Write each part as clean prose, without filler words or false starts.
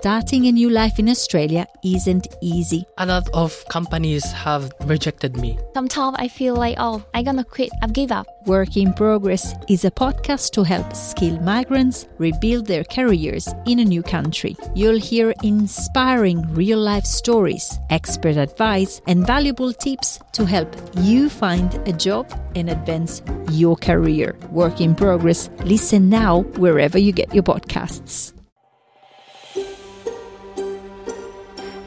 starting a new life in Australia isn't easy. A lot of companies have rejected me. Sometimes I feel like, I'm gonna quit, I've give up. Work in Progress is a podcast to help skilled migrants rebuild their careers in a new country. You'll hear inspiring real-life stories, expert advice, and valuable tips to help you find a job and advance your career. Work in Progress. Listen now wherever you get your podcasts.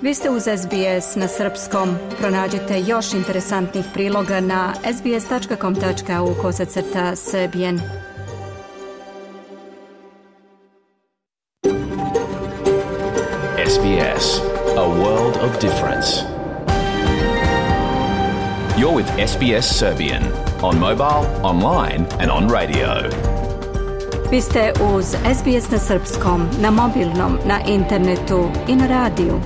Vi ste uz SBS na srpskom. Pronađite još interesantnih priloga na sbs.com.au/serbian. SBS, a world of difference. You're with SBS Serbian on mobile, online and on radio. Vi ste uz SBS na srpskom, na mobilnom, na internetu i na radiju.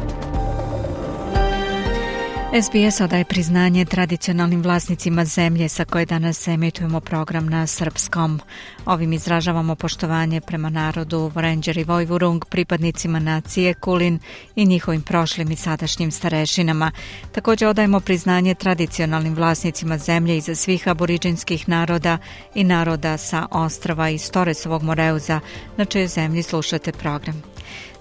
SBS odaje priznanje tradicionalnim vlasnicima zemlje sa koje danas emitujemo program na srpskom. Ovim izražavamo poštovanje prema narodu Vorenđer i Vojvurung, pripadnicima nacije Kulin i njihovim prošlim i sadašnjim starešinama. Također odajemo priznanje tradicionalnim vlasnicima zemlje iza svih aboriđinskih naroda i naroda sa ostrava iz Toresovog Moreuza, na čijoj zemlji slušate program.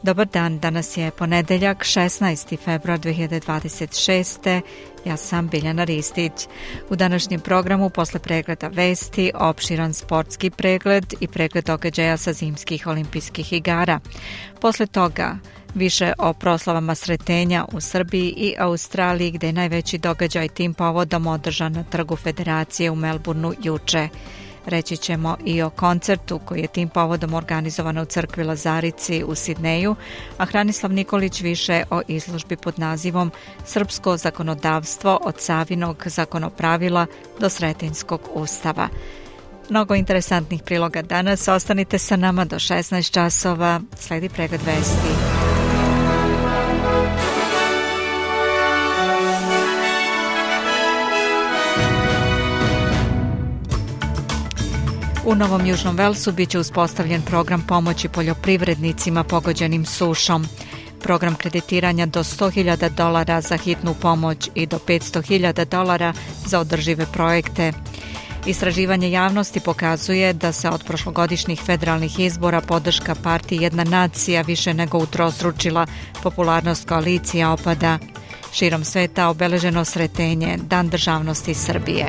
Dobar dan, danas je ponedeljak, 16. februar 2026. Ja sam Biljana Ristić. U današnjem programu posle pregleda vesti, opširan sportski pregled i pregled događaja sa zimskih olimpijskih igara. Posle toga više o proslavama Sretenja u Srbiji i Australiji, gde je najveći događaj tim povodom održan na Trgu Federacije u Melbourneu juče. Reći ćemo i o koncertu koji je tim povodom organizovan u crkvi Lazarici u Sidneju, a Hranislav Nikolić više o izložbi pod nazivom Srpsko zakonodavstvo od Savinog zakonopravila do Sretenjskog ustava. Mnogo interesantnih priloga danas, ostanite sa nama do 16 časova, sledi pregled vesti. U Novom Južnom Velsu biće uspostavljen program pomoći poljoprivrednicima pogođenim sušom. Program kreditiranja do $100,000 za hitnu pomoć i do $500,000 za održive projekte. Istraživanje javnosti pokazuje da se od prošlogodišnjih federalnih izbora podrška partiji Jedna nacija više nego utrostručila, popularnost koalicija opada. Širom sveta obeleženo Sretenje, Dan državnosti Srbije.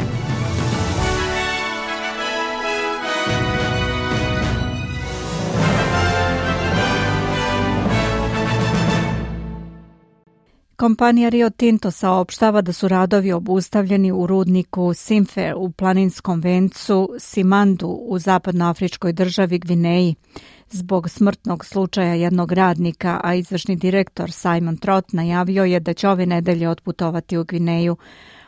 Kompanija Rio Tinto saopštava da su radovi obustavljeni u rudniku Simfer u planinskom vencu Simandu u zapadnoafričkoj državi Gvineji zbog smrtnog slučaja jednog radnika, a izvršni direktor Simon Trott najavio je da će ove nedelje otputovati u Gvineju.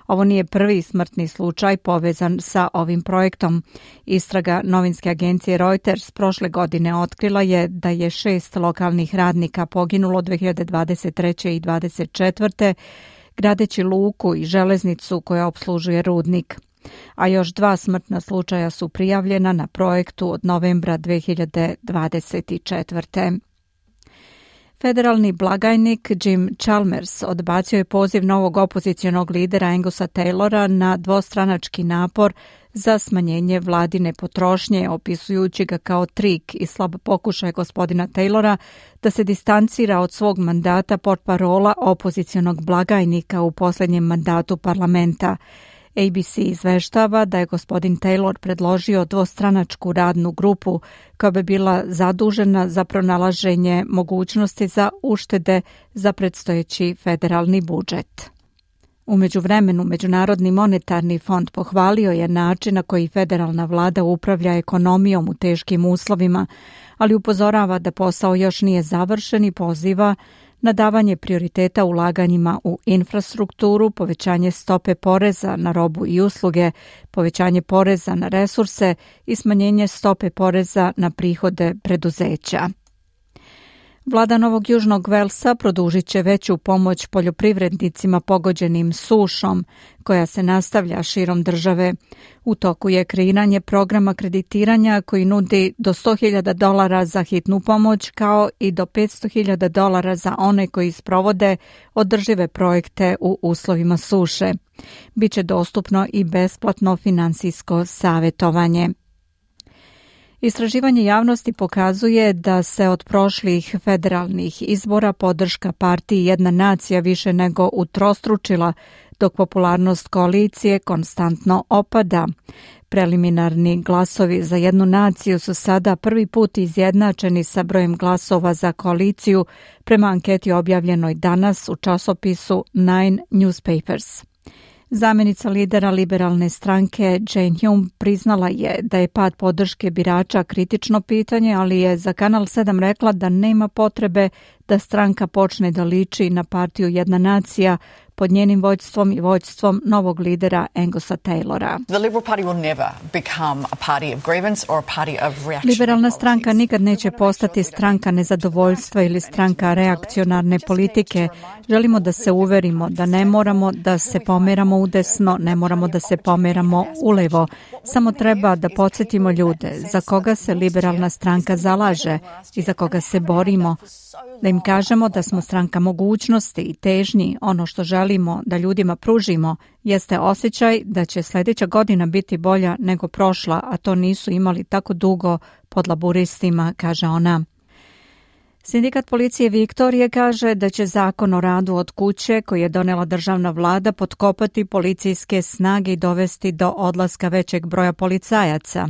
Ovo nije prvi smrtni slučaj povezan sa ovim projektom. Istraga novinske agencije Reuters prošle godine otkrila je da je 6 lokalnih radnika poginulo 2023. i 2024. gradeći luku i železnicu koja opslužuje rudnik. A još 2 smrtna slučaja su prijavljena na projektu od novembra 2024. Federalni blagajnik Jim Chalmers odbacio je poziv novog opozicionog lidera Angusa Taylora na dvostranački napor za smanjenje vladine potrošnje, opisujući ga kao trik i slab pokušaj gospodina Taylora da se distancira od svog mandata portparola opozicionog blagajnika u posljednjem mandatu parlamenta. ABC izveštava da je gospodin Taylor predložio dvostranačku radnu grupu koja bi bila zadužena za pronalaženje mogućnosti za uštede za predstojeći federalni budžet. U međuvremenu, Međunarodni monetarni fond pohvalio je način na koji federalna vlada upravlja ekonomijom u teškim uslovima, ali upozorava da posao još nije završen i poziva na davanje prioriteta ulaganjima u infrastrukturu, povećanje stope poreza na robu i usluge, povećanje poreza na resurse i smanjenje stope poreza na prihode preduzeća. Vlada Novog Južnog Velsa produžit će veću pomoć poljoprivrednicima pogođenim sušom, koja se nastavlja širom države. U toku je kreiranje programa kreditiranja koji nudi do $100,000 za hitnu pomoć, kao i do $500,000 za one koji sprovode održive projekte u uslovima suše. Biće dostupno i besplatno finansijsko savjetovanje. Istraživanje javnosti pokazuje da se od prošlih federalnih izbora podrška partiji Jedna nacija više nego utrostručila, dok popularnost koalicije konstantno opada. Preliminarni glasovi za Jednu naciju su sada prvi put izjednačeni sa brojem glasova za koaliciju prema anketi objavljenoj danas u časopisu Nine Newspapers. Zamjenica lidera liberalne stranke Jane Hume priznala je da je pad podrške birača kritično pitanje, ali je za Kanal 7 rekla da nema potrebe da stranka počne da liči na partiju Jedna nacija pod njenim vođstvom i vođstvom novog lidera Angusa Taylora. Liberalna stranka nikad neće postati stranka nezadovoljstva ili stranka reakcionarne politike. Želimo da se uverimo da ne moramo da se pomeramo udesno, ne moramo da se pomeramo ulevo. Samo treba da podsjetimo ljude za koga se liberalna stranka zalaže i za koga se borimo. Da im kažemo da smo stranka mogućnosti i težnji. Ono što želimo da ljudima pružimo jeste osjećaj da će sljedeća godina biti bolja nego prošla, a to nisu imali tako dugo pod laburistima, kaže ona. Sindikat policije Viktorije kaže da će zakon o radu od kuće koji je donela državna vlada potkopati policijske snage i dovesti do odlaska većeg broja policajaca.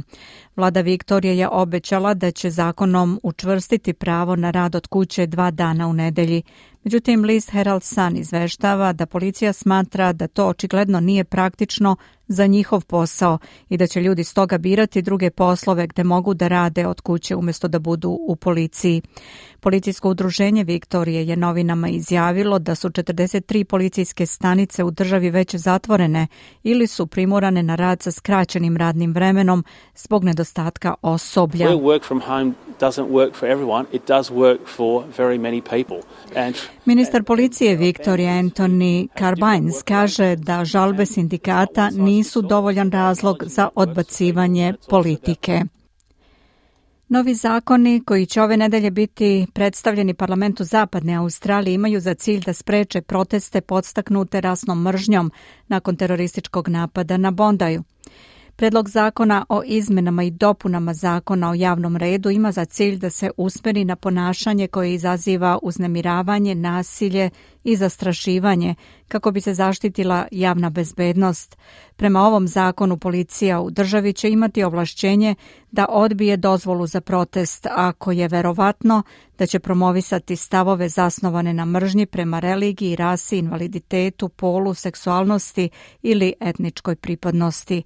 Vlada Viktorije je obećala da će zakonom učvrstiti pravo na rad od kuće 2 dana u nedelji. Međutim, list Herald Sun izveštava da policija smatra da to očigledno nije praktično za njihov posao i da će ljudi stoga birati druge poslove gde mogu da rade od kuće umjesto da budu u policiji. Policijsko udruženje Viktorije je novinama izjavilo da su 43 policijske stanice u državi već zatvorene ili su primorane na rad sa skraćenim radnim vremenom zbog nedostatka osoblja. Ministar policije Viktorije Anthony Carbines kaže da žalbe sindikata nisu dovoljan razlog za odbacivanje politike. Novi zakoni koji će ove nedelje biti predstavljeni parlamentu Zapadne Australije imaju za cilj da spreče proteste podstaknute rasnom mržnjom nakon terorističkog napada na Bondaju. Predlog zakona o izmenama i dopunama zakona o javnom redu ima za cilj da se usmeri na ponašanje koje izaziva uznemiravanje, nasilje i zastrašivanje kako bi se zaštitila javna bezbednost. Prema ovom zakonu policija u državi će imati ovlašćenje da odbije dozvolu za protest ako je verovatno da će promovisati stavove zasnovane na mržnji prema religiji, rasi, invaliditetu, polu, seksualnosti ili etničkoj pripadnosti.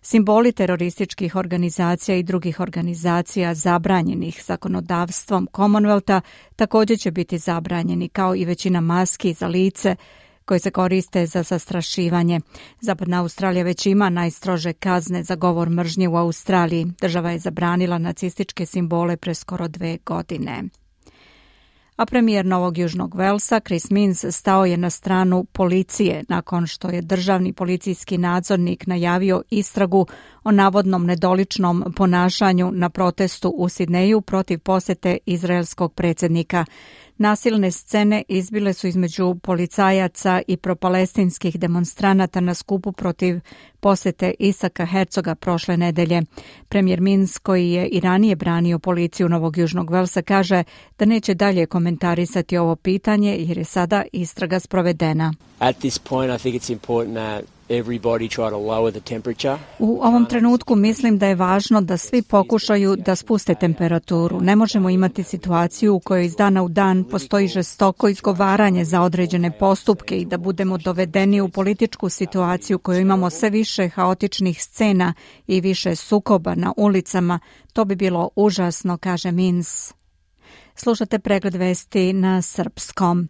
Simboli terorističkih organizacija i drugih organizacija zabranjenih zakonodavstvom Commonwealtha također će biti zabranjeni, kao i većina maski za lice koje se koriste za zastrašivanje. Zapadna Australija već ima najstrože kazne za govor mržnje u Australiji. Država je zabranila nacističke simbole pre skoro 2 godine. A premijer Novog Južnog Velsa, Chris Minns, stao je na stranu policije nakon što je državni policijski nadzornik najavio istragu o navodnom nedoličnom ponašanju na protestu u Sidneju protiv posete izraelskog predsjednika. Nasilne scene izbile su između policajaca i propalestinskih demonstranata na skupu protiv posete Isaka Herzoga prošle nedelje. Premijer Minns, koji je i ranije branio policiju Novog Južnog Velsa, kaže da neće dalje komentarisati ovo pitanje jer je sada istraga sprovedena. At this point, I think it's important that everybody try to lower the temperature. U ovom trenutku mislim da je važno da svi pokušaju da spuste temperaturu. Ne možemo imati situaciju u kojoj iz dana u dan postoji žestoko izgovaranje za određene postupke i da budemo dovedeni u političku situaciju koju imamo sve više haotičnih scena i više sukoba na ulicama. To bi bilo užasno, kaže Minns. Slušate pregled vesti na srpskom.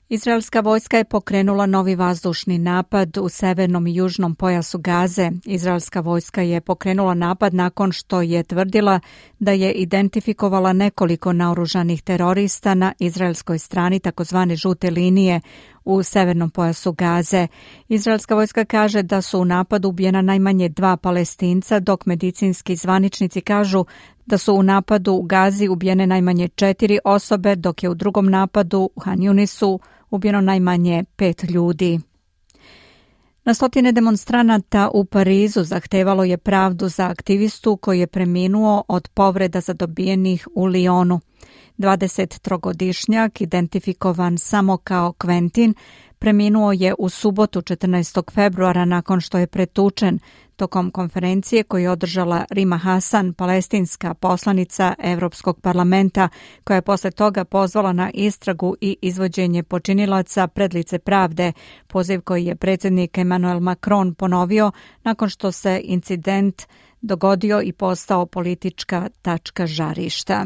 Izraelska vojska je pokrenula novi vazdušni napad u severnom i južnom pojasu Gaze. Izraelska vojska je pokrenula napad nakon što je tvrdila da je identifikovala nekoliko naoružanih terorista na izraelskoj strani takozvane žute linije u severnom pojasu Gaze. Izraelska vojska kaže da su u napadu ubijena najmanje 2 Palestinca, dok medicinski zvaničnici kažu da su u napadu u Gazi ubijene najmanje 4 osobe, dok je u drugom napadu u Han Yunisu ubijeno najmanje 5 ljudi. Na stotine demonstranata u Parizu zahtevalo je pravdu za aktivistu koji je preminuo od povreda zadobijenih u Lyonu. 23-godišnjak, identifikovan samo kao Quentin, preminuo je u subotu 14. februara nakon što je pretučen tokom konferencije koju je održala Rima Hasan, palestinska poslanica Evropskog parlamenta, koja je posle toga pozvala na istragu i izvođenje počinilaca pred lice pravde, poziv koji je predsjednik Emmanuel Macron ponovio nakon što se incident dogodio i postao politička tačka žarišta.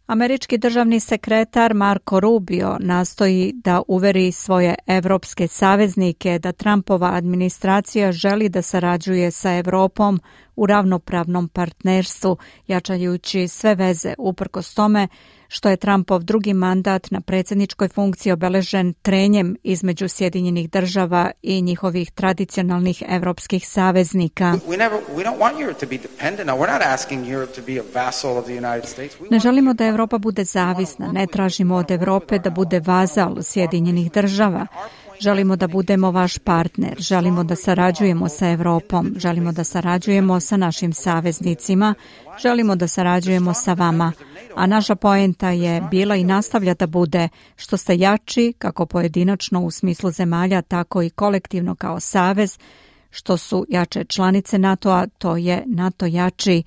Američki državni sekretar Marco Rubio nastoji da uveri svoje evropske saveznike da Trumpova administracija želi da sarađuje sa Evropom u ravnopravnom partnerstvu, jačajući sve veze uprkos tome što je Trumpov drugi mandat na predsjedničkoj funkciji obeležen trenjem između Sjedinjenih država i njihovih tradicionalnih evropskih saveznika. Ne želimo da Evropa bude zavisna, ne tražimo od Evrope da bude vazal Sjedinjenih država. Želimo da budemo vaš partner, želimo da sarađujemo sa Evropom, želimo da sarađujemo sa našim saveznicima, želimo da sarađujemo sa vama, a naša poenta je bila i nastavlja da bude što ste jači kako pojedinačno u smislu zemalja, tako i kolektivno kao savez, što su jače članice NATO-a, to je NATO jači.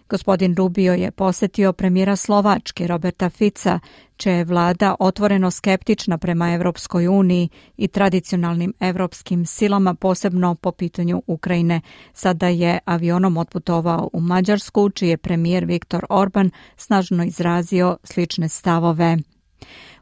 Gospodin Rubio je posjetio premijera Slovačke Roberta Fica, čija je vlada otvoreno skeptična prema Evropskoj uniji i tradicionalnim evropskim silama, posebno po pitanju Ukrajine. Sada je avionom otputovao u Mađarsku, čiji je premijer Viktor Orban snažno izrazio slične stavove.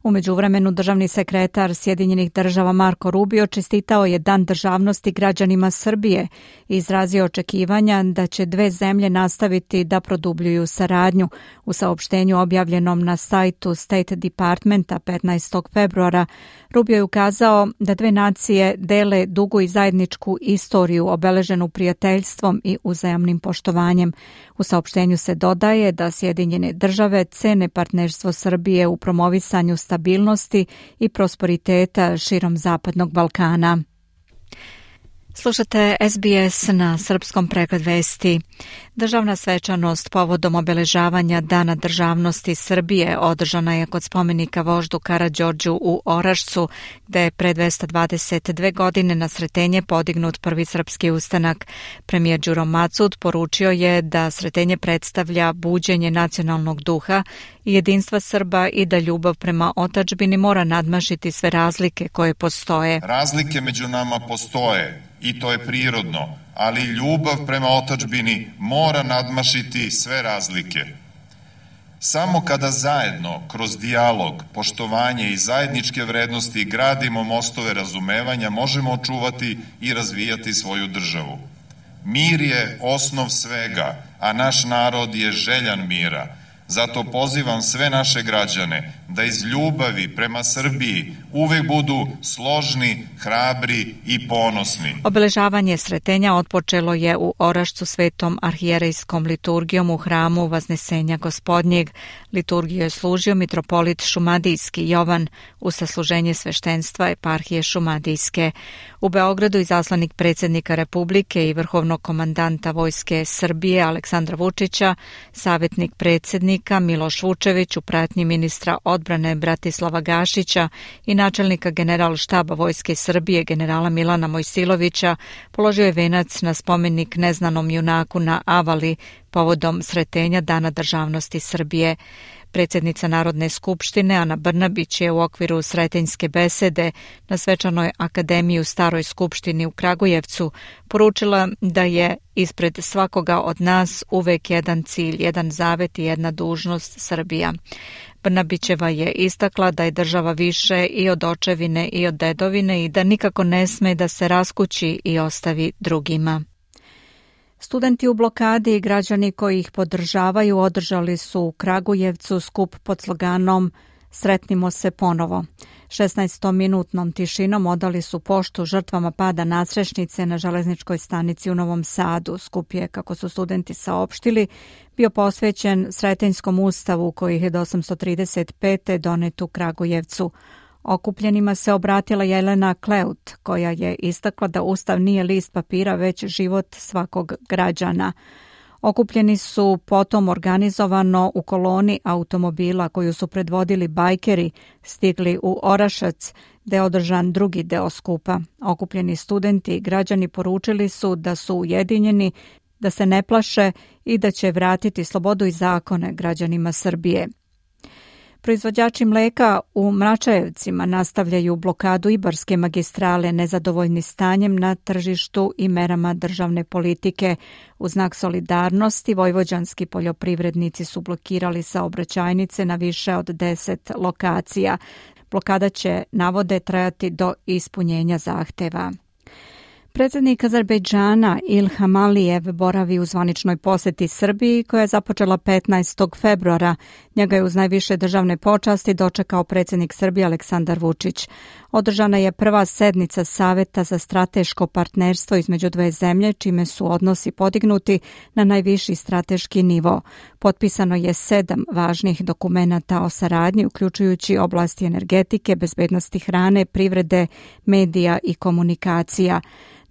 U međuvremenu državni sekretar Sjedinjenih država Marco Rubio čestitao je Dan državnosti građanima Srbije i izrazio očekivanja da će dve zemlje nastaviti da produbljuju saradnju. U saopštenju objavljenom na sajtu State Departmenta 15. februara Rubio je ukazao da dve nacije dele dugu i zajedničku istoriju obeleženu prijateljstvom i uzajamnim poštovanjem. U saopštenju se dodaje da Sjedinjene države cene partnerstvo Srbije u promovisanju stabilnosti i prosperiteta širom Zapadnog Balkana. Slušate SBS na srpskom pregled vesti. Državna svečanost povodom obeležavanja Dana državnosti Srbije održana je kod spomenika voždu Karađorđu u Orašcu, gde je pre 222 godine na Sretenje podignut prvi srpski ustanak. Premijer Đuro Macud poručio je da Sretenje predstavlja buđenje nacionalnog duha i jedinstva Srba i da ljubav prema otadžbini mora nadmašiti sve razlike koje postoje. Razlike među nama postoje i to je prirodno, ali ljubav prema otadžbini mora nadmašiti sve razlike. Samo kada zajedno, kroz dijalog, poštovanje i zajedničke vrednosti gradimo mostove razumevanja, možemo očuvati i razvijati svoju državu. Mir je osnov svega, a naš narod je željan mira. Zato pozivam sve naše građane da iz ljubavi prema Srbiji uvek budu složni, hrabri i ponosni. Obeležavanje Sretenja otpočelo je u Orašcu svetom arhijerejskom liturgijom u hramu Vaznesenja Gospodnjeg. Liturgiju je služio mitropolit Šumadijski Jovan uz sasluženje sveštenstva eparhije Šumadijske. U Beogradu izaslanik predsjednika Republike i vrhovnog komandanta Vojske Srbije Aleksandra Vučića, savjetnik predsjednika Miloš Vučević u pratnji ministra odbrane Bratislava Gašića i načelnika generalštaba Vojske Srbije generala Milana Mojsilovića položio je venac na spomenik neznanom junaku na Avali povodom sretenja Dana državnosti Srbije. Predsjednica Narodne skupštine Ana Brnabić je u okviru sretenjske besede na Svečanoj akademiji u Staroj skupštini u Kragujevcu poručila da je ispred svakoga od nas uvek jedan cilj, jedan zavet i jedna dužnost Srbija. Brnabićeva je istakla da je država više i od očevine i od dedovine i da nikako ne sme da se raskući i ostavi drugima. Studenti u blokadi i građani koji ih podržavaju održali su u Kragujevcu skup pod sloganom Sretnimo se ponovo. 16-minutnom tišinom odali su poštu žrtvama pada nadstrešnice na železničkoj stanici u Novom Sadu. Skup je, kako su studenti saopštili, bio posvećen Sretenjskom ustavu koji je 1835. donet u Kragujevcu. Okupljenima se obratila Jelena Kleut, koja je istakla da ustav nije list papira, već život svakog građana. Okupljeni su potom organizovano u koloni automobila koju su predvodili bajkeri stigli u Orašac, gde je održan drugi deo skupa. Okupljeni studenti i građani poručili su da su ujedinjeni, da se ne plaše i da će vratiti slobodu i zakone građanima Srbije. Proizvođači mleka u Mračajevcima nastavljaju blokadu Ibarske magistrale nezadovoljni stanjem na tržištu i merama državne politike. U znak solidarnosti vojvođanski poljoprivrednici su blokirali saobraćajnice na više od 10 lokacija. Blokada će, navode, trajati do ispunjenja zahteva. Predsjednik Azerbejdžana Ilham Alijev boravi u zvaničnoj posjeti Srbiji koja je započela 15. februara. Njega je uz najviše državne počasti dočekao predsjednik Srbije Aleksandar Vučić. Održana je prva sednica Saveta za strateško partnerstvo između dve zemlje, čime su odnosi podignuti na najviši strateški nivo. Potpisano je 7 važnih dokumenata o saradnji, uključujući oblasti energetike, bezbednosti hrane, privrede, medija i komunikacija.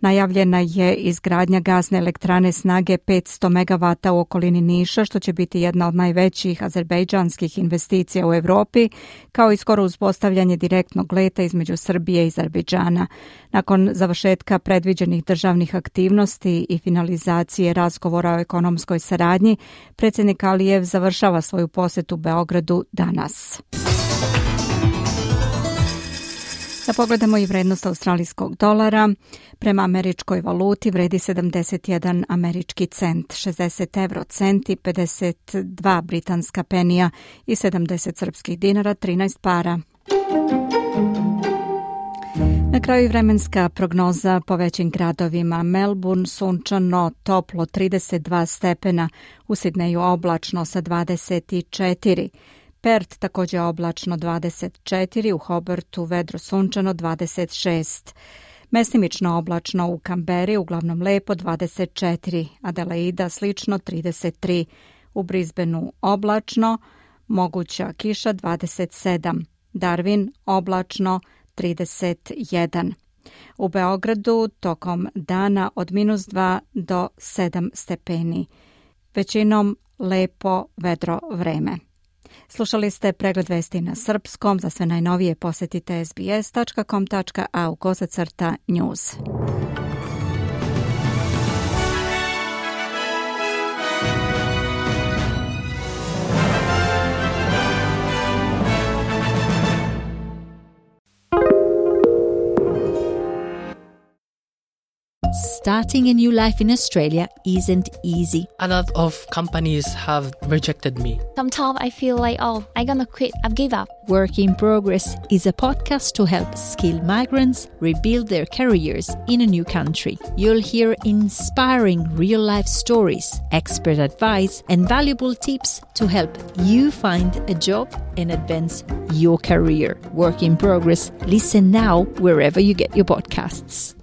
Najavljena je izgradnja gasne elektrane snage 500 MW u okolini Niša, što će biti jedna od najvećih azerbejdžanskih investicija u Evropi, kao i skoro uspostavljanje direktnog leta između Srbije i Azerbejdžana. Nakon završetka predviđenih državnih aktivnosti i finalizacije razgovora o ekonomskoj saradnji, predsjednik Alijev završava svoju posjetu Beogradu danas. Da pogledamo i vrednost australijskog dolara. Prema američkoj valuti vredi 71 američki cent, 60 eurocenti, 52 britanska penija i 70 srpskih dinara, 13 para. Na kraju vremenska prognoza po većim gradovima. Melbourne sunčano, toplo 32 stepena, u Sidneju oblačno sa 24. Perth također oblačno 24, u Hobartu vedro sunčano 26. Mestimično oblačno u Kamberi, uglavnom lepo 24, Adelaida slično 33, u Brisbaneu oblačno, moguća kiša 27, Darwin oblačno 31. U Beogradu tokom dana od -2 do 7 stepeni. Većinom lepo vedro vreme. Slušali ste pregled vesti na srpskom. Za sve najnovije posjetite sbs.com.au/news. Starting a new life in Australia isn't easy. A lot of companies have rejected me. Sometimes I feel like, I'm gonna quit. I've give up. Work in Progress is a podcast to help skilled migrants rebuild their careers in a new country. You'll hear inspiring real-life stories, expert advice, and valuable tips to help you find a job and advance your career. Work in Progress. Listen now wherever you get your podcasts.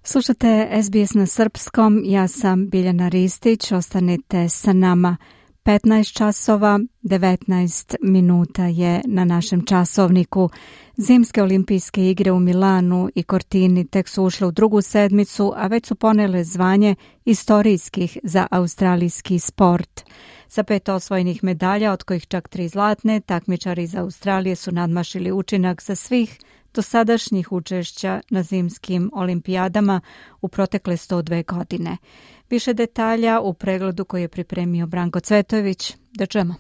Slušate SBS na srpskom, ja sam Biljana Ristić, ostanite sa nama. 15 časova, 19 minuta je na našem časovniku. Zimske olimpijske igre u Milanu i Cortini tek su ušle u drugu sedmicu, a već su ponele zvanje istorijskih za australijski sport. Sa 5 osvojenih medalja, od kojih čak 3 zlatne, takmičari iz Australije su nadmašili učinak za svih dosadašnjih učešća na zimskim olimpijadama u protekle 102 godine. Više detalja u pregledu koji je pripremio Branko Cvetojević. Da čujemo.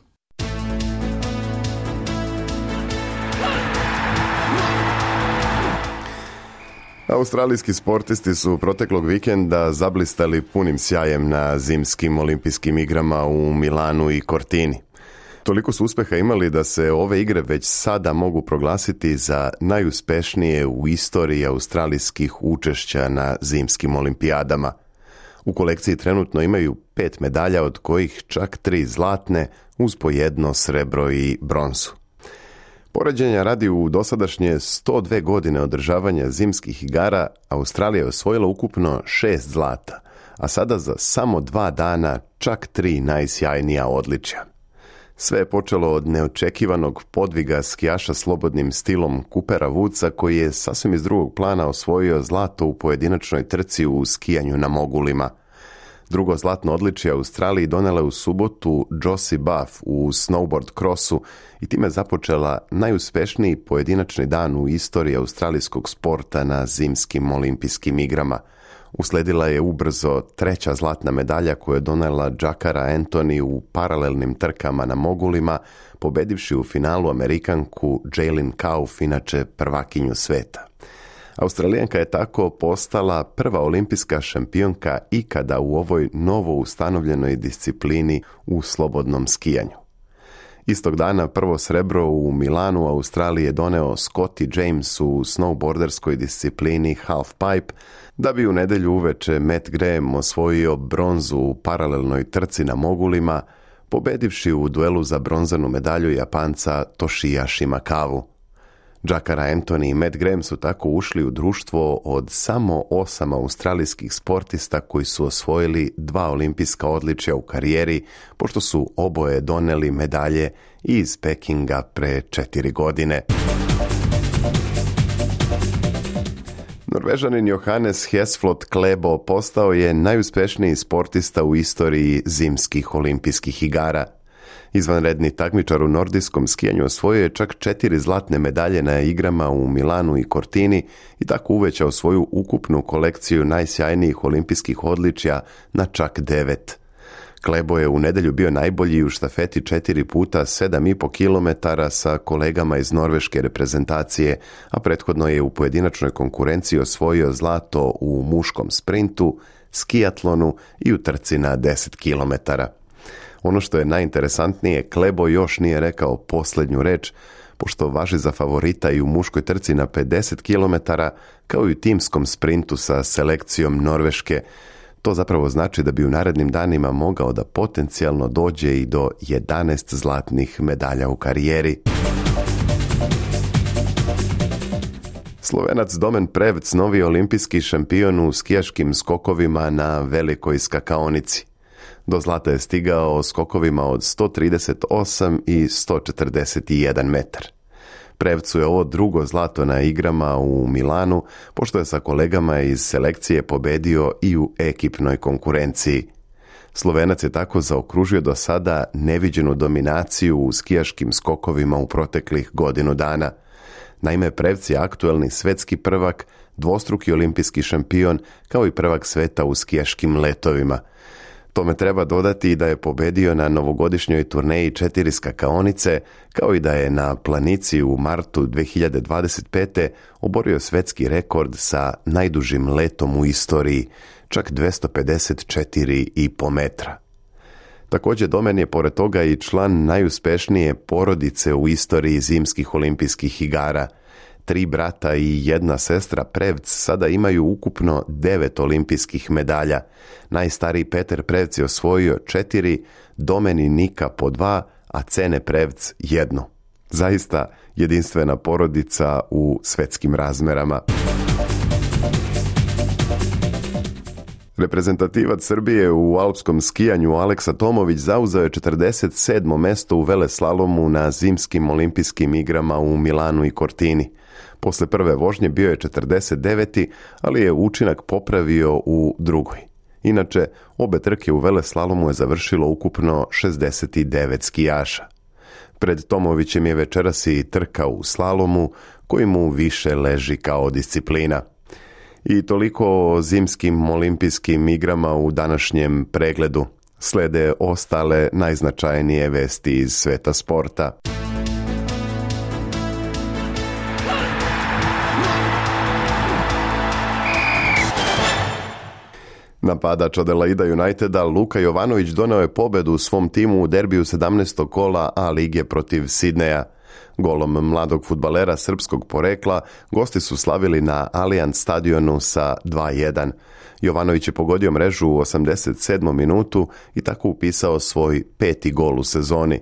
Australijski sportisti su proteklog vikenda zablistali punim sjajem na zimskim olimpijskim igrama u Milanu i Cortini. Toliko su uspjeha imali da se ove igre već sada mogu proglasiti za najuspešnije u istoriji australijskih učešća na zimskim olimpijadama. U kolekciji trenutno imaju 5 medalja, od kojih čak 3 zlatne uz po 1 srebro i bronzu. Poređenja radi, u dosadašnje 102 godine održavanja zimskih igara Australija je osvojila ukupno 6 zlata, a sada za samo 2 dana čak 3 najsjajnija odličja. Sve je počelo od neočekivanog podviga skijaša slobodnim stilom Coopera Woodsa, koji je sasvim iz drugog plana osvojio zlato u pojedinačnoj trci u skijanju na mogulima. Drugo zlatno odličje Australiji donela u subotu Josie Buff u snowboard crossu i time započela najuspješniji pojedinačni dan u istoriji australijskog sporta na zimskim olimpijskim igrama. Usledila je ubrzo 3. zlatna medalja koju je donela Jakara Anthony u paralelnim trkama na mogulima, pobedivši u finalu Amerikanku Jaylin Kauf, inače prvakinju sveta. Australijanka je tako postala prva olimpijska šampionka ikada u ovoj novo ustanovljenoj disciplini u slobodnom skijanju. Istog dana prvo srebro u Milanu Australiji je doneo Scotty James u snowboarderskoj disciplini half pipe, da bi u nedjelju uveče Matt Graham osvojio bronzu u paralelnoj trci na mogulima, pobedivši u duelu za bronzanu medalju Japanca Toshiya Shimakawu. Jakara Anthony i Matt Graham su tako ušli u društvo od samo 8 australijskih sportista koji su osvojili 2 olimpijska odličja u karijeri, pošto su oboje doneli medalje iz Pekinga pre 4 godine. Norvežanin Johannes Hesflot Klæbo postao je najuspješniji sportista u istoriji zimskih olimpijskih igara. Izvanredni takmičar u nordijskom skijanju osvojio je čak 4 zlatne medalje na igrama u Milanu i Cortini i tako uvećao svoju ukupnu kolekciju najsjajnijih olimpijskih odličja na čak 9. Klæbo je u nedjelju bio najbolji u štafeti 4 puta 7,5 km sa kolegama iz norveške reprezentacije, a prethodno je u pojedinačnoj konkurenciji osvojio zlato u muškom sprintu, skijatlonu i u trci na 10 km. Ono što je najinteresantnije, Klæbo još nije rekao posljednju reč, pošto važi za favorita i u muškoj trci na 50 km, kao i u timskom sprintu sa selekcijom Norveške. To zapravo znači da bi u narednim danima mogao da potencijalno dođe i do 11 zlatnih medalja u karijeri. Slovenac Domen Prevc, novi olimpijski šampion u skijaškim skokovima na velikoj skakaonici. Do zlata je stigao skokovima od 138 i 141 metar. Prevcu je ovo drugo zlato na igrama u Milanu, pošto je sa kolegama iz selekcije pobedio i u ekipnoj konkurenciji. Slovenac je tako zaokružio do sada neviđenu dominaciju u skijaškim skokovima u proteklih godinu dana. Naime, Prevc je aktuelni svetski prvak, dvostruki olimpijski šampion, kao i prvak sveta u skijaškim letovima. Tome treba dodati da je pobedio na novogodišnjoj turneji 4 skakaonice, kao i da je na planici u martu 2025. oborio svetski rekord sa najdužim letom u istoriji, čak 254,5 metra. Također Domen je pored toga i član najuspješnije porodice u istoriji zimskih olimpijskih igara. 3 brata i 1 sestra Prevc sada imaju ukupno 9 olimpijskih medalja. Najstariji Peter Prevc je osvojio 4, Domen i Nika po 2, a Cene Prevc 1. Zaista jedinstvena porodica u svetskim razmerama. Reprezentativac Srbije u alpskom skijanju Aleksa Tomović zauzeo je 47. mesto u veleslalomu na zimskim olimpijskim igrama u Milanu i Cortini. Posle prve vožnje bio je 49. ali je učinak popravio u drugoj. Inače, obe trke u veleslalomu je završilo ukupno 69 skijaša. Pred Tomovićem je večeras i trka u slalomu, koji mu više leži kao disciplina. I toliko o zimskim olimpijskim igrama u današnjem pregledu. Slede ostale najznačajnije vesti iz sveta sporta. Napadač Adelaida Uniteda Luka Jovanović doneo je pobedu svom timu u derbiju 17. kola A lige protiv Sidneja. Golom mladog fudbalera srpskog porekla gosti su slavili na Allianz stadionu sa 2:1. Jovanović je pogodio mrežu u 87. minutu i tako upisao svoj 5. gol u sezoni.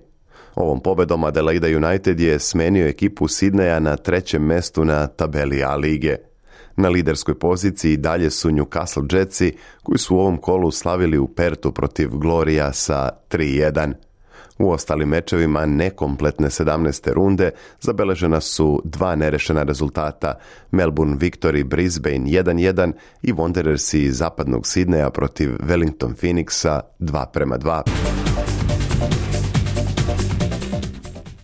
Ovom pobedom Adelaida United je smenio ekipu Sidneja na 3. mestu na tabeli A lige. Na liderskoj poziciji dalje su Newcastle Jetsi, koji su u ovom kolu slavili u Pertu protiv Glorija sa 3:1. U ostalim mečevima nekompletne 17. runde zabeležena su 2 nerešena rezultata: Melbourne Victory Brisbane 1:1 i Wanderersi iz zapadnog Sidneja protiv Wellington Phoenixa 2:2.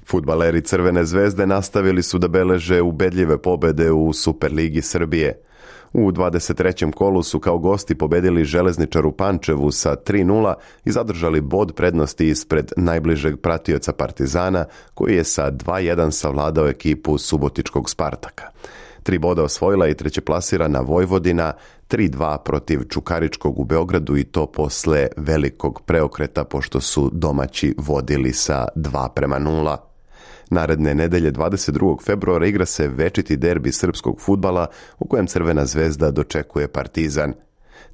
Fudbaleri Crvene zvezde nastavili su da beleže ubedljive pobede u Superligi Srbije. U 23. kolu su kao gosti pobedili Železničar u Pančevu sa 3:0 i zadržali bod prednosti ispred najbližeg pratioca Partizana, koji je sa 2:1 savladao ekipu subotičkog Spartaka. 3 boda osvojila i trećeplasirana Vojvodina, 3:2 protiv Čukaričkog u Beogradu, i to posle velikog preokreta pošto su domaći vodili sa 2:0. Naredne nedelje 22. februara igra se večiti derbi srpskog fudbala u kojem Crvena zvezda dočekuje Partizan.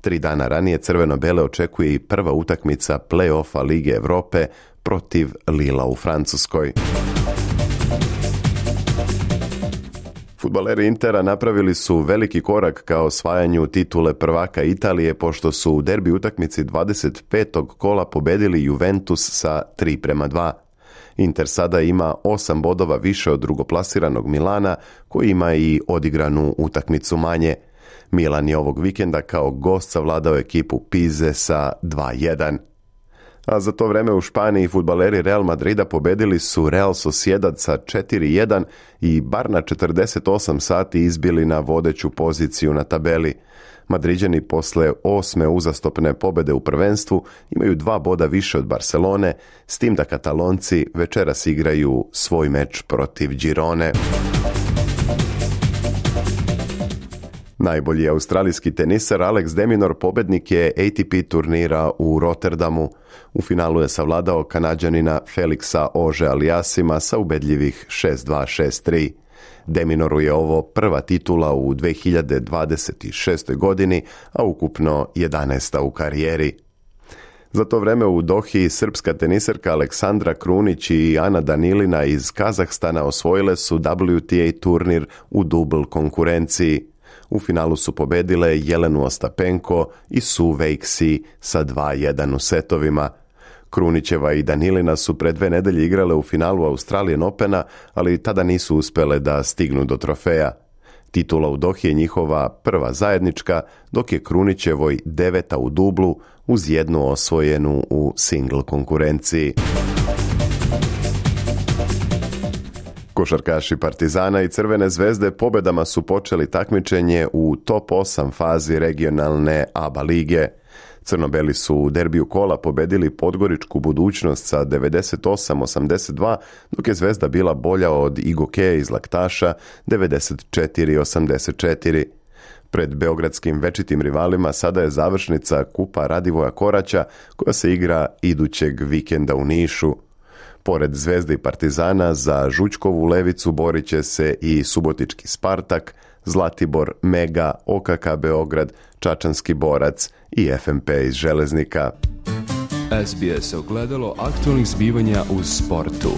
3 dana ranije crveno-bele očekuje i prva utakmica play-offa Lige Evrope protiv Lila u Francuskoj. Fudbaleri Intera napravili su veliki korak ka osvajanju titule prvaka Italije pošto su u derbi utakmici 25. kola pobedili Juventus sa 3:2. Inter sada ima 8 bodova više od drugoplasiranog Milana, koji ima i odigranu utakmicu manje. Milan je ovog vikenda kao gost savladao ekipu Pize sa 2:1. A za to vreme u Španiji fudbaleri Real Madrida pobedili su Real Sociedad sa 4:1 i bar na 48 sati izbili na vodeću poziciju na tabeli. Madriđani posle 8. uzastopne pobede u prvenstvu imaju 2 boda više od Barcelone, s tim da Katalonci večeras igraju svoj meč protiv Girone. Najbolji australijski tenisar Alex de Minaur pobednik je ATP turnira u Rotterdamu. U finalu je savladao Kanađanina Felixa Auger-Aliassima sa ubedljivih 6:2, 6:3. De Minauru je ovo prva titula u 2026. godini, a ukupno 11. u karijeri. Za to vreme u Dohi srpska teniserka Aleksandra Krunić i Ana Danilina iz Kazahstana osvojile su WTA turnir u dubl konkurenciji. U finalu su pobedile Jelenu Ostapenko i Sue Veixi sa 2:1 u setovima. Krunićeva i Danilina su pre 2 nedelje igrale u finalu Australian Opena, ali tada nisu uspele da stignu do trofeja. Titula u Dohi je njihova prva zajednička, dok je Krunićevoj 9. u dublu uz 1 osvojenu u single konkurenciji. Košarkaši Partizana i Crvene zvezde pobedama su počeli takmičenje u top 8 fazi regionalne ABA lige. Crnobeli su u derbiju kola pobedili Podgoričku Budućnost sa 98-82, dok je Zvezda bila bolja od Igokeja iz Laktaša 94-84. Pred beogradskim večitim rivalima sada je završnica Kupa Radivoja Koraća, koja se igra idućeg vikenda u Nišu. Pored Zvezde i Partizana za Žućkovu levicu borit će se i Subotički Spartak, Zlatibor, Mega, OKK Beograd, Čačanski Borac i FMP iz Železnika. SBS ogledalo aktualnih zbivanja u sportu.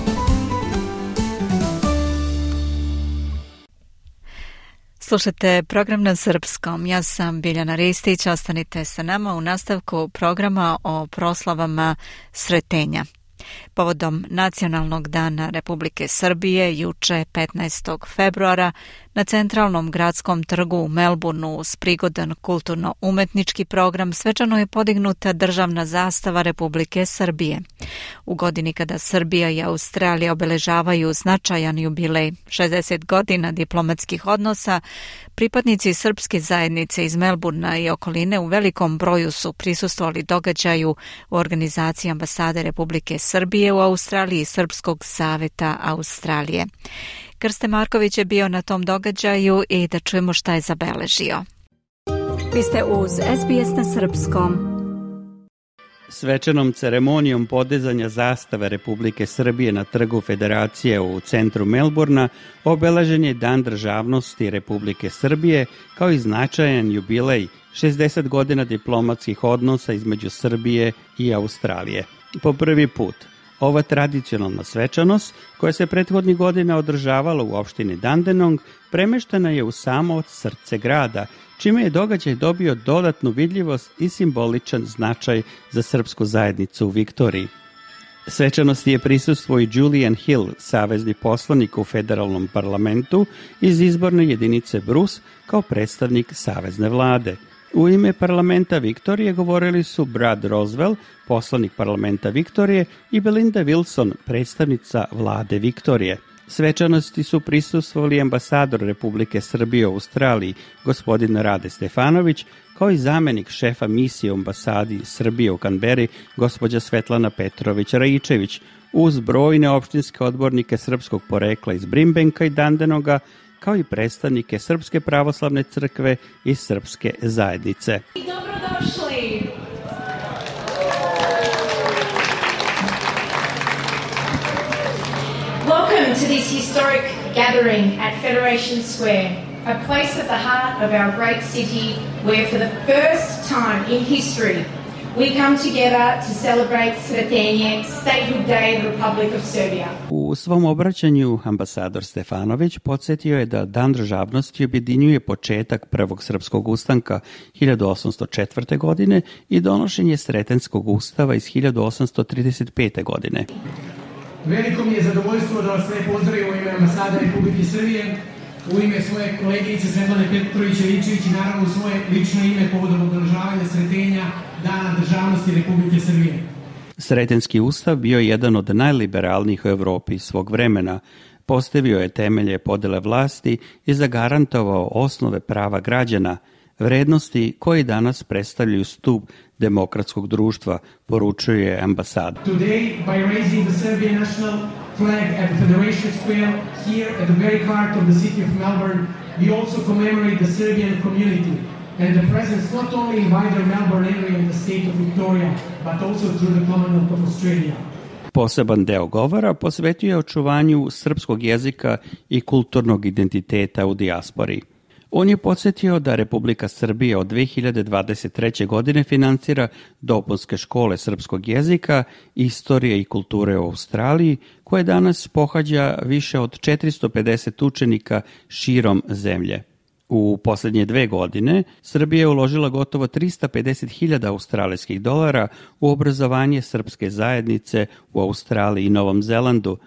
Slušate program na srpskom. Ja sam Biljana Ristić. Ostanite sa nama u nastavku programa o proslavama Sretenja. Povodom Nacionalnog dana Republike Srbije, juče 15. februara, na centralnom gradskom trgu u Melbourneu uz prigodan kulturno-umetnički program svečano je podignuta državna zastava Republike Srbije. U godini kada Srbija i Australija obeležavaju značajan jubilej 60 godina diplomatskih odnosa, pripadnici srpske zajednice iz Melbournea i okoline u velikom broju su prisustvovali događaju u organizaciji ambasade Republike Srbije u Australiji i Srpskog saveta Australije. Krste Marković je bio na tom događaju i da čujemo šta je zabeležio. Vi ste uz SBS na srpskom. Svečanom ceremonijom podizanja zastave Republike Srbije na trgu Federacije u centru Melbourna obeležen je Dan državnosti Republike Srbije kao i značajan jubilej 60 godina diplomatskih odnosa između Srbije i Australije. Po prvi put ova tradicionalna svečanost, koja se prethodnih godina održavala u opštini Dandenong, premeštena je u samo srce grada, čime je događaj dobio dodatnu vidljivost i simboličan značaj za srpsku zajednicu u Viktoriji. Svečanosti je prisustvovao i Julian Hill, savezni poslanik u federalnom parlamentu iz izborne jedinice Bruce, kao predstavnik savezne vlade. U ime parlamenta Viktorije govorili su Brad Roswell, poslanik parlamenta Viktorije, i Belinda Wilson, predstavnica vlade Viktorije. Svečanosti su prisustvovali ambasador Republike Srbije u Australiji, gospodin Rade Stefanović, kao i zamenik šefa misije u ambasadi Srbije u Kanberi, gospođa Svetlana Petrović-Raičević, uz brojne opštinske odbornike srpskog porekla iz Brimbanka i Dandenonga, kao i predstavnike Srpske pravoslavne crkve i Srpske zajednice. Dobrodošli! Welcome to this historic gathering at Federation Square, a place at the heart of our great city where for the first time in history we come together to celebrate Sretenje, Statehood Day of the Republic of Serbia. U svom obraćanju ambasador Stefanović podsjetio je da Dan državnosti objedinjuje početak prvog srpskog ustanka 1804. godine i donošenje Sretenskog ustava iz 1835. godine. Veliko mi je zadovoljstvo da vas sve pozdravim u ime ambasade Republike Srbije, u ime svoje kolegice Svetlane Petrović-Raičević i naravno u svoje lično ime povodom obeležavanja Sretenja Dana državnosti Republike Srbije. Sretenski ustav bio je jedan od najliberalnijih u Evropi svog vremena, postavio je temelje podele vlasti i zagarantovao osnove prava građana, vrednosti koji danas predstavljaju stub demokratskog društva, poručuje ambasada. Today, by raising the Serbian national flag at Federation Square here at the very heart of the city of Melbourne, we also commemorate the Serbian community and the presence not only in wider Melbourne area in the state of Victoria, but also through the Commonwealth of Australia. Poseban deo govora posvetio je očuvanju srpskog jezika i kulturnog identiteta u dijaspori. On je podsjetio da Republika Srbija od 2023. godine finansira dopunske škole srpskog jezika, istorije i kulture u Australiji, koje danas pohađa više od 450 učenika širom zemlje. U posljednje 2 godine Srbija je uložila gotovo 350.000 australijskih dolara u obrazovanje srpske zajednice u Australiji i Novom Zelandu.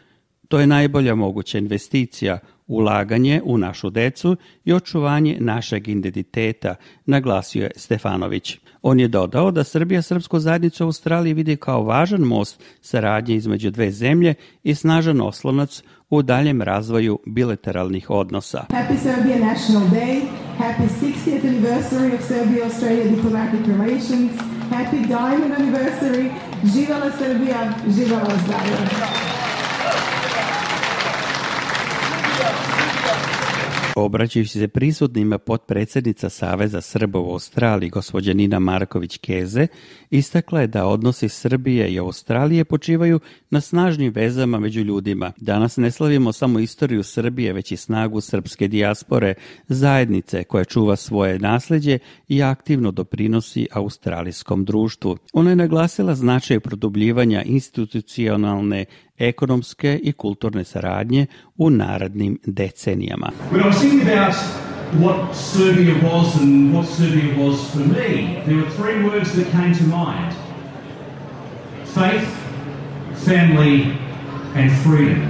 To je najbolja moguća investicija, ulaganje u našu decu i očuvanje našeg identiteta, naglasio je Stefanović. On je dodao da Srbija srpsku zajednicu u Australiji vidi kao važan most saradnje između dve zemlje i snažan oslonac u daljem razvoju bilateralnih odnosa. Happy Serbian National Day, happy 60th anniversary of Serbia-Australia diplomatic relations, happy diamond anniversary, živela Srbija, živela Australija. Obraćajući se prisutnima, potpredsjednica Saveza Srba u Australiji, gospođa Nina Marković-Keze, istakla je da odnosi Srbije i Australije počivaju na snažnim vezama među ljudima. Danas ne slavimo samo istoriju Srbije, već i snagu srpske dijaspore, zajednice koja čuva svoje nasljeđe i aktivno doprinosi australijskom društvu. Ona je naglasila značaj produbljivanja institucionalne, ekonomske i kulturne saradnje u narednim decenijama. When I was thinking about what Serbia was and what Serbia was for me, there were 3 words that came to mind. Faith, family, and freedom.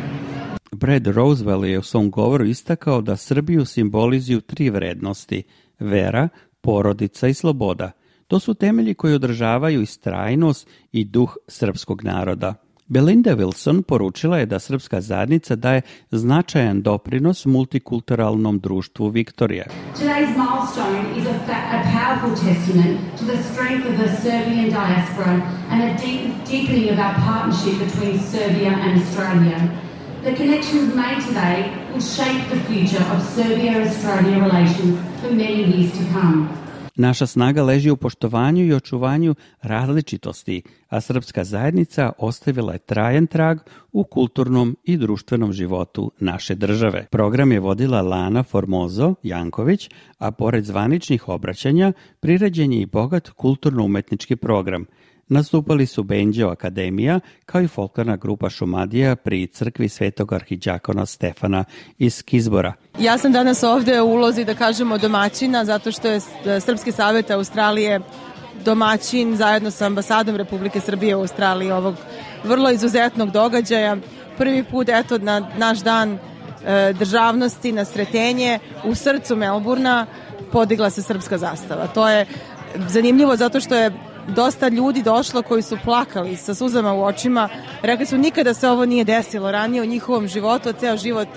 Brad Roosevelt je u svom govoru istakao da Srbiju simbolizuju 3 vrednosti: vera, porodica i sloboda. To su temelji koji održavaju istrajnost i duh srpskog naroda. Belinda Wilson poručila je da srpska zajednica daje značajan doprinos multikulturalnom društvu Viktorija. Today's milestone is a powerful testament to the strength of the Serbian diaspora and a deepening of our partnership between Serbia and Australia. The connections made today will shape the future of Serbia-Australia relations for many years to come. Naša snaga leži u poštovanju i očuvanju različitosti, a srpska zajednica ostavila je trajan trag u kulturnom i društvenom životu naše države. Program je vodila Lana Formozo Janković, a pored zvaničnih obraćanja priređen je i bogat kulturno-umetnički program. Nastupali su Benđeo Akademija, kao i folklorna grupa Šumadija pri crkvi Svetog arhiđakona Stefana iz Kizbora. Ja sam danas ovde u ulozi, da kažemo, domaćina, zato što je Srpski savjet Australije domaćin zajedno sa ambasadom Republike Srbije u Australiji ovog vrlo izuzetnog događaja. Prvi put, eto, na naš dan državnosti, na Sretenje, u srcu Melburna podigla se srpska zastava. To je zanimljivo zato što je dosta ljudi došlo koji su plakali sa suzama u očima. Rekli su nikada se ovo nije desilo ranije u njihovom životu, a ceo život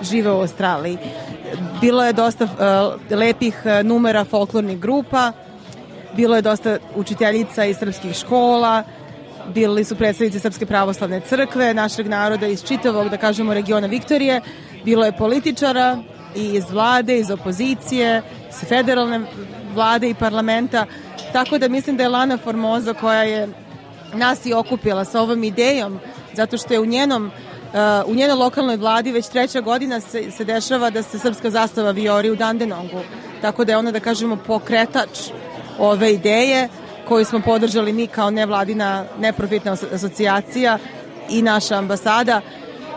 žive u Australiji. Bilo je dosta lepih numera folklornih grupa, bilo je dosta učiteljica iz srpskih škola, bili su predstavnici Srpske pravoslavne crkve, našeg naroda iz čitavog, da kažemo, regiona Viktorije, bilo je političara i iz vlade, iz opozicije, iz federalne vlade i parlamenta. Tako da mislim da je Lana Formoza, koja je nas i okupila sa ovom idejom, zato što je u njenoj lokalnoj vladi već 3. godina se dešava da se srpska zastava vijori u Dandenongu. Tako da je ona, da kažemo, pokretač ove ideje koju smo podržali mi kao nevladina neprofitna asocijacija i naša ambasada.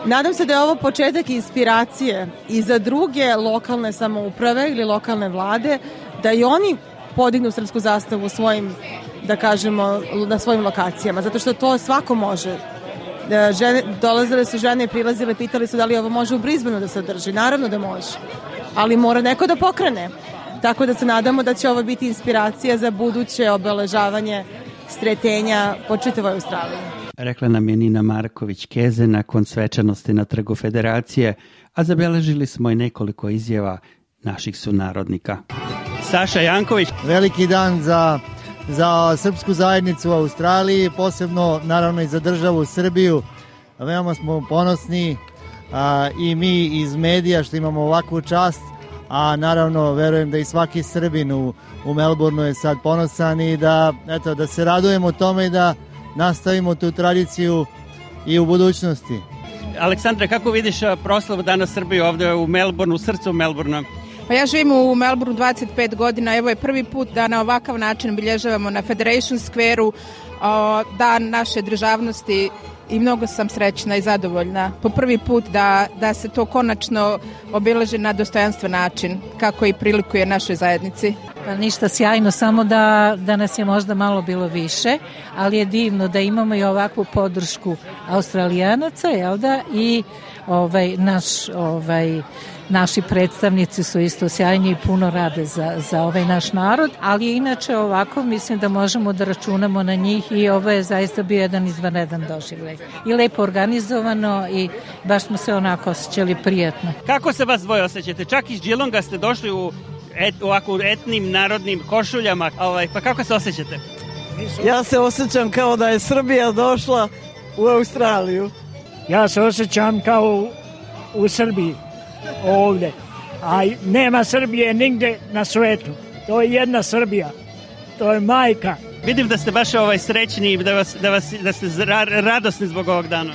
Nadam se da je ovo početak inspiracije i za druge lokalne samouprave ili lokalne vlade, da i oni podignu srpsku zastavu svojim, da kažemo, na svojim lokacijama, zato što to svako može. Dolazile su žene i prilazile, pitali su da li ovo može u Brisbaneu da se održi. Naravno da može, ali mora neko da pokrene. Tako da se nadamo da će ovo biti inspiracija za buduće obeležavanje Sretenja po čitavoj Australiji. Rekla nam je Nina Marković-Keze nakon svečanosti na Trgu Federacije, a zabeležili smo i nekoliko izjava naših sunarodnika. Saša Janković. Veliki dan za srpsku zajednicu u Australiji, posebno naravno i za državu Srbiju. Veoma smo ponosni i mi iz medija što imamo ovakvu čast, a naravno verujem da i svaki Srbin u Melbourneu je sad ponosan i da se radujemo tome i da nastavimo tu tradiciju i u budućnosti. Aleksandra, kako vidiš proslavu Dana Srbije ovde u Melbourneu, u srcu Melbournea? Pa ja živim u Melbourneu 25 godina, evo je prvi put da na ovakav način obilježavamo na Federation Square-u dan naše državnosti i mnogo sam srećna i zadovoljna. Po prvi put da se to konačno obileži na dostojanstven način, kako i prilikuje našoj zajednici. Pa ništa, sjajno, samo da nas je možda malo bilo više, ali je divno da imamo i ovakvu podršku Australijanaca, jel da, i naši predstavnici su isto sjajni i puno rade za ovaj naš narod, ali inače ovako mislim da možemo da računamo na njih i ovo je zaista bio jedan izvanredan doživljaj. I lepo organizovano i baš smo se onako osjećali prijatno. Kako se vas dvoje osjećate? Čak iz Geelonga ste došli u ovako etnim narodnim košuljama, pa kako se osjećate? Ja se osjećam kao da je Srbija došla u Australiju. Ja se osjećam kao u Srbiji ovdje, a nema Srbije nigde na svetu. To je jedna Srbija, to je majka. Vidim da ste baš srećni, da ste radosni zbog ovog dana.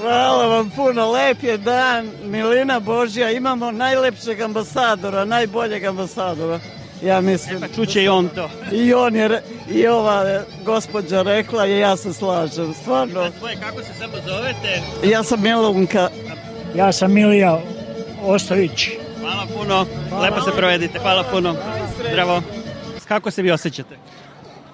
Hvala vam puno, lep je dan, milina Božja, imamo najlepšeg ambasadora, najboljeg ambasadora. Ja mislim. Pa čuće i on to. I ova gospođa rekla i ja se slažem, stvarno. A tvoje, kako se samo zovete? Ja sam Milunka. Ja sam Milija Ostojić. Hvala puno, lepo se provedite, hvala puno. Zdravo. Kako se vi osjećate?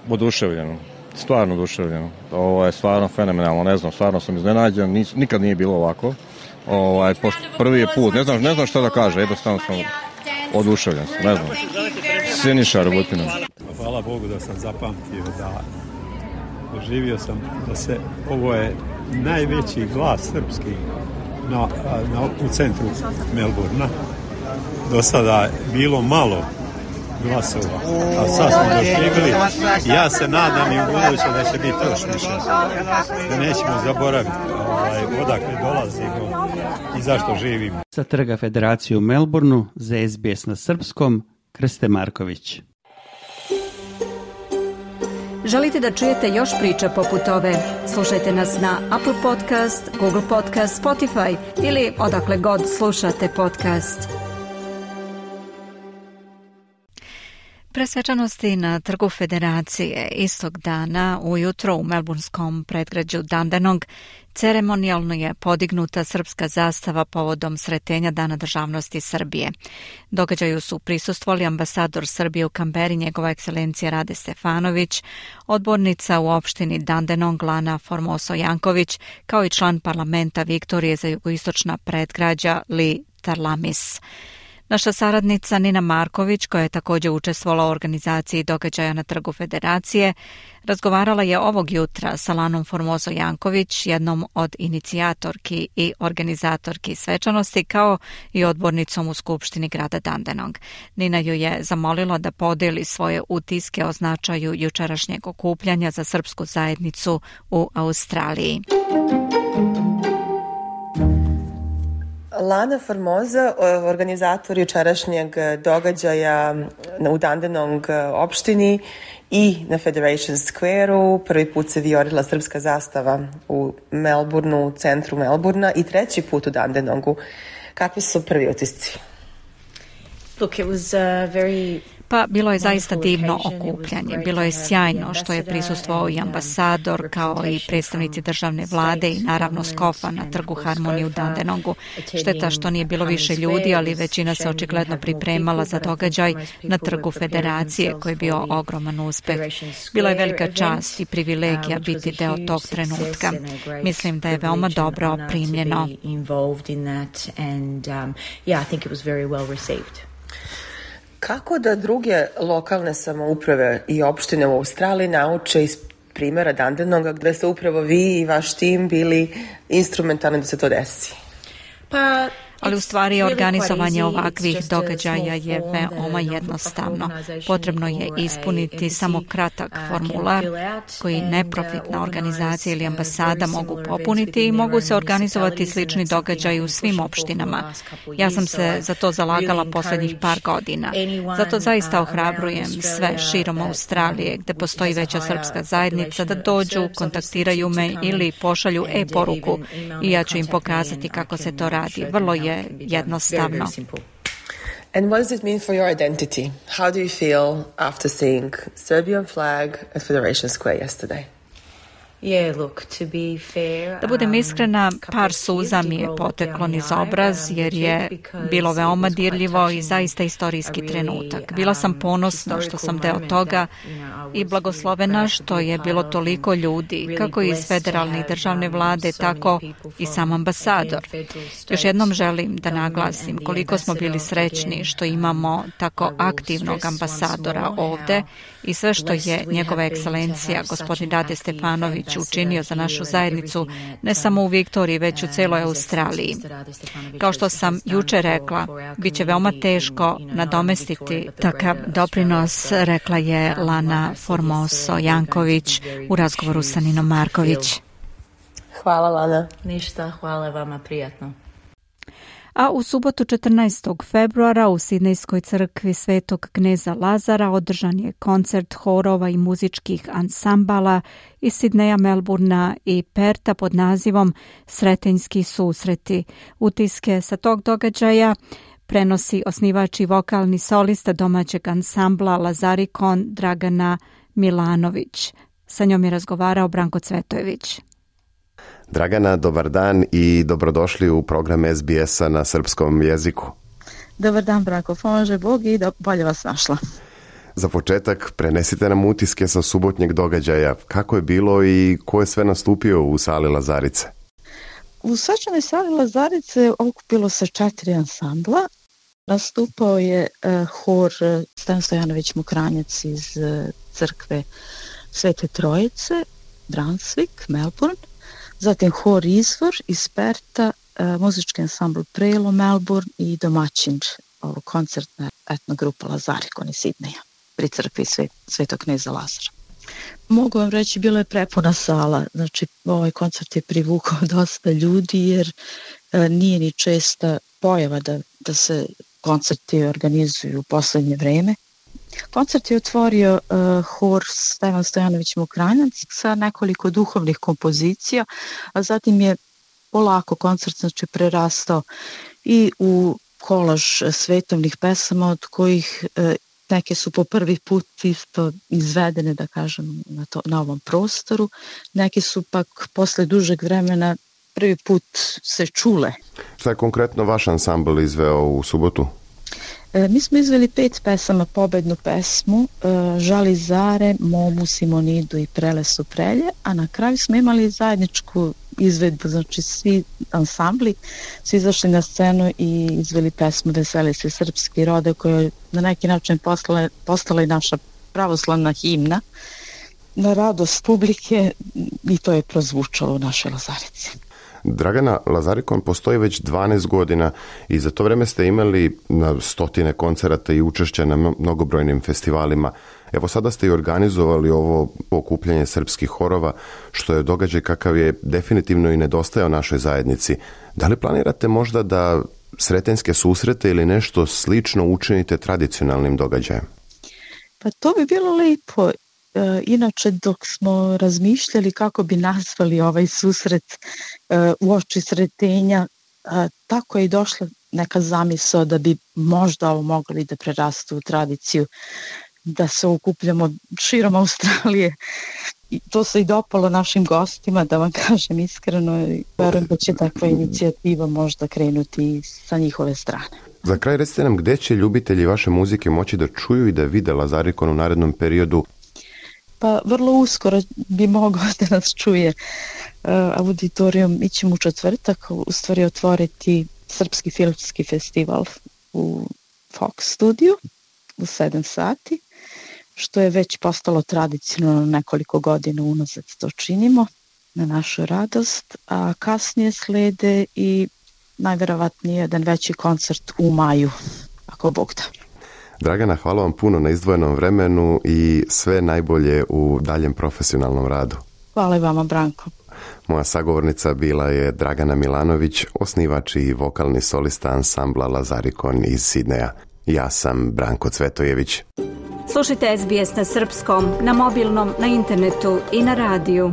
Oduševljeno. stvarno oduševljen. Ovo je stvarno fenomenalno, ne znam, stvarno sam iznenađen, nikad nije bilo ovako. Prvi je put, ne znam šta da kaže, jednostavno sam oduševljen, ne znam. Siniša Robutina. Hvala Bogu da sam zapamtio, da doživio sam da se, ovo je najveći glas srpski u centru Melbourna. Do sada bilo malo glasova, a sad smo doživjeli. Ja se nadam i u buduće da će biti još više. Da nećemo zaboraviti odakle dolazimo i zašto živimo. Sa trga Federacije u Melbourneu za SBS na srpskom, Krste Marković. Želite da čujete još priča poput ove? Slušajte nas na Apple Podcast, Google Podcast, Spotify ili odakle god slušate podcast. Pre svečanosti na trgu Federacije istog dana ujutro u melburnskom predgrađu Dandenong ceremonijalno je podignuta srpska zastava povodom sretenja Dana državnosti Srbije. Događaju su prisustvovali ambasador Srbije u Kamberi, njegova ekscelencija Rade Stefanović, odbornica u opštini Dandenong Lana Formoso Janković, kao i član parlamenta Viktorije za jugoistočna predgrađa Li Tarlamis. Naša saradnica Nina Marković, koja je također učestvovala u organizaciji događaja na trgu Federacije, razgovarala je ovog jutra sa Lanom Formoso Janković, jednom od inicijatorki i organizatorki svečanosti, kao i odbornicom u Skupštini grada Dandenong. Nina ju je zamolila da podeli svoje utiske o značaju jučerašnjeg okupljanja za srpsku zajednicu u Australiji. Lana Formosa, organizator jučerašnjeg događaja u Dandenong opštini i na Federation Square-u. Prvi put se vijorila srpska zastava u Melbourneu, u centru Melbourna, i treći put u Dandenongu. Kakvi su prvi utisci? Look, it was very... Pa bilo je zaista divno okupljanje. Bilo je sjajno što je prisustvovao i ambasador, kao i predstavnici državne vlade i naravno Skofa na trgu Harmonije u Dandenongu. Šteta što nije bilo više ljudi, ali većina se očigledno pripremala za događaj na trgu Federacije, koji je bio ogroman uspeh. Bila je velika čast i privilegija biti deo tog trenutka. Mislim da je veoma dobro primljeno. Kako da druge lokalne samouprave i opštine u Australiji nauče iz primjera Dandenonga, gde ste upravo vi i vaš tim bili instrumentalni da se to desi? Ali u stvari organizovanje ovakvih događaja je veoma jednostavno. Potrebno je ispuniti samo kratak formular koji neprofitna organizacija ili ambasada mogu popuniti i mogu se organizovati slični događaji u svim opštinama. Ja sam se za to zalagala posljednjih par godina. Zato zaista ohrabrujem sve širom Australije gde postoji veća srpska zajednica da dođu, kontaktiraju me ili pošalju e-poruku i ja ću im pokazati kako se to radi. Vrlo je jednostavno. And what does it mean for your identity? How do you feel after seeing Serbian flag at Federation Square yesterday? Da budem iskrena, par suza mi je poteklo niz obraz jer je bilo veoma dirljivo i zaista istorijski trenutak. Bila sam ponosna što sam deo toga i blagoslovena što je bilo toliko ljudi, kako iz federalne i državne vlade, tako i sam ambasador. Još jednom želim da naglasim koliko smo bili srećni što imamo tako aktivnog ambasadora ovde i sve što je njegova ekscelencija, gospodin Rade Stefanović, učinio za našu zajednicu, ne samo u Viktoriji, već u celoj Australiji. Kao što sam juče rekla, bit će veoma teško nadomestiti takav doprinos, rekla je Lana Formoso Janković u razgovoru sa Ninom Marković. Hvala, Lana. Ništa, hvala vama, prijatno. A u subotu 14. februara u Sidnejskoj crkvi Svetog kneza Lazara održan je koncert horova i muzičkih ansambala iz Sidneja, Melburna i Perta pod nazivom Sretenjski susreti. Utiske sa tog događaja prenosi osnivač i vokalni solista domaćeg ansambla Lazarikon Dragana Milanović. Sa njom je razgovarao Branko Cvetojević. Dragana, dobar dan i dobrodošli u program SBS-a na srpskom jeziku. Dobar dan, Branko, pomože Bog i bolje vas našla. Za početak prenesite nam utiske sa subotnjeg događaja. Kako je bilo i ko je sve nastupio u sali Lazarice? U svečanoj sali Lazarice okupilo se 4 ansambla. Nastupao je hor Stojan Stojanović Mokranjac iz crkve Svete Trojice, Brunswick, Melbourne. Zatim hor Izvor iz Perta, muzički ansambl Prelo, Melbourne i domaćin koncertna etnogrupa Lazarikon iz Sidneja pri crkvi Svetog kneza Lazara. Mogu vam reći, bilo je prepuna sala, znači ovaj koncert je privukao dosta ljudi jer nije ni česta pojava da se koncerti organizuju u poslednje vreme. Koncert je otvorio hor Stojan Stojanović Mokranjac sa nekoliko duhovnih kompozicija, a zatim je polako koncert znači prerastao i u kolaž svetovnih pesama, od kojih neke su po prvi put isto izvedene, da kažem, na ovom prostoru. Neke su pak posle dužeg vremena prvi put se čule. Šta je konkretno vaš ansambl izveo u subotu? Mi smo izveli 5 pesama, pobednu pesmu, Žali zare, Momu, Simonidu i Prelesu prelje, a na kraju smo imali zajedničku izvedbu, znači svi ansambli su izašli na scenu i izveli pesmu Veseli se srpski rode, koja je na neki način postala i naša pravoslavna himna na radost publike i to je prozvučalo u našoj Lazarici. Dragana, Lazarikon postoji već 12 godina i za to vreme ste imali na stotine koncerata i učešća na mnogobrojnim festivalima. Evo sada ste i organizovali ovo okupljanje srpskih horova, što je događaj kakav je definitivno i nedostajao našoj zajednici. Da li planirate možda da sretenjske susrete ili nešto slično učinite tradicionalnim događajem? Pa to bi bilo lepo. Inače, dok smo razmišljali kako bi nazvali ovaj susret uoči Sretenja, tako je i došla neka zamisao da bi možda ovo mogli da prerastu u tradiciju, da se okupljamo širom Australije. I to se i dopalo našim gostima, da vam kažem iskreno, i verujem da će takva inicijativa možda krenuti sa njihove strane. Za kraj recite nam gde će ljubitelji vaše muzike moći da čuju i da vide Lazarikon u narednom periodu? Pa vrlo uskoro bi mogao da nas čuje auditorijum. Mi ćemo u četvrtak u stvari otvoriti Srpski filmski festival u Fox studiju u 7 sati, što je već postalo tradicionalno, nekoliko godina unazad to činimo na našu radost, a kasnije slede i najverovatnije jedan veći koncert u maju, ako Bog da. Dragana, hvala vam puno na izdvojenom vremenu i sve najbolje u daljem profesionalnom radu. Hvala i vama, Branko. Moja sagovornica bila je Dragana Milanović, osnivač i vokalni solista ansambla Lazarikon iz Sidneja. Ja sam Branko Cvetojević. Slušajte SBS na srpskom, na mobilnom, na internetu i na radiju.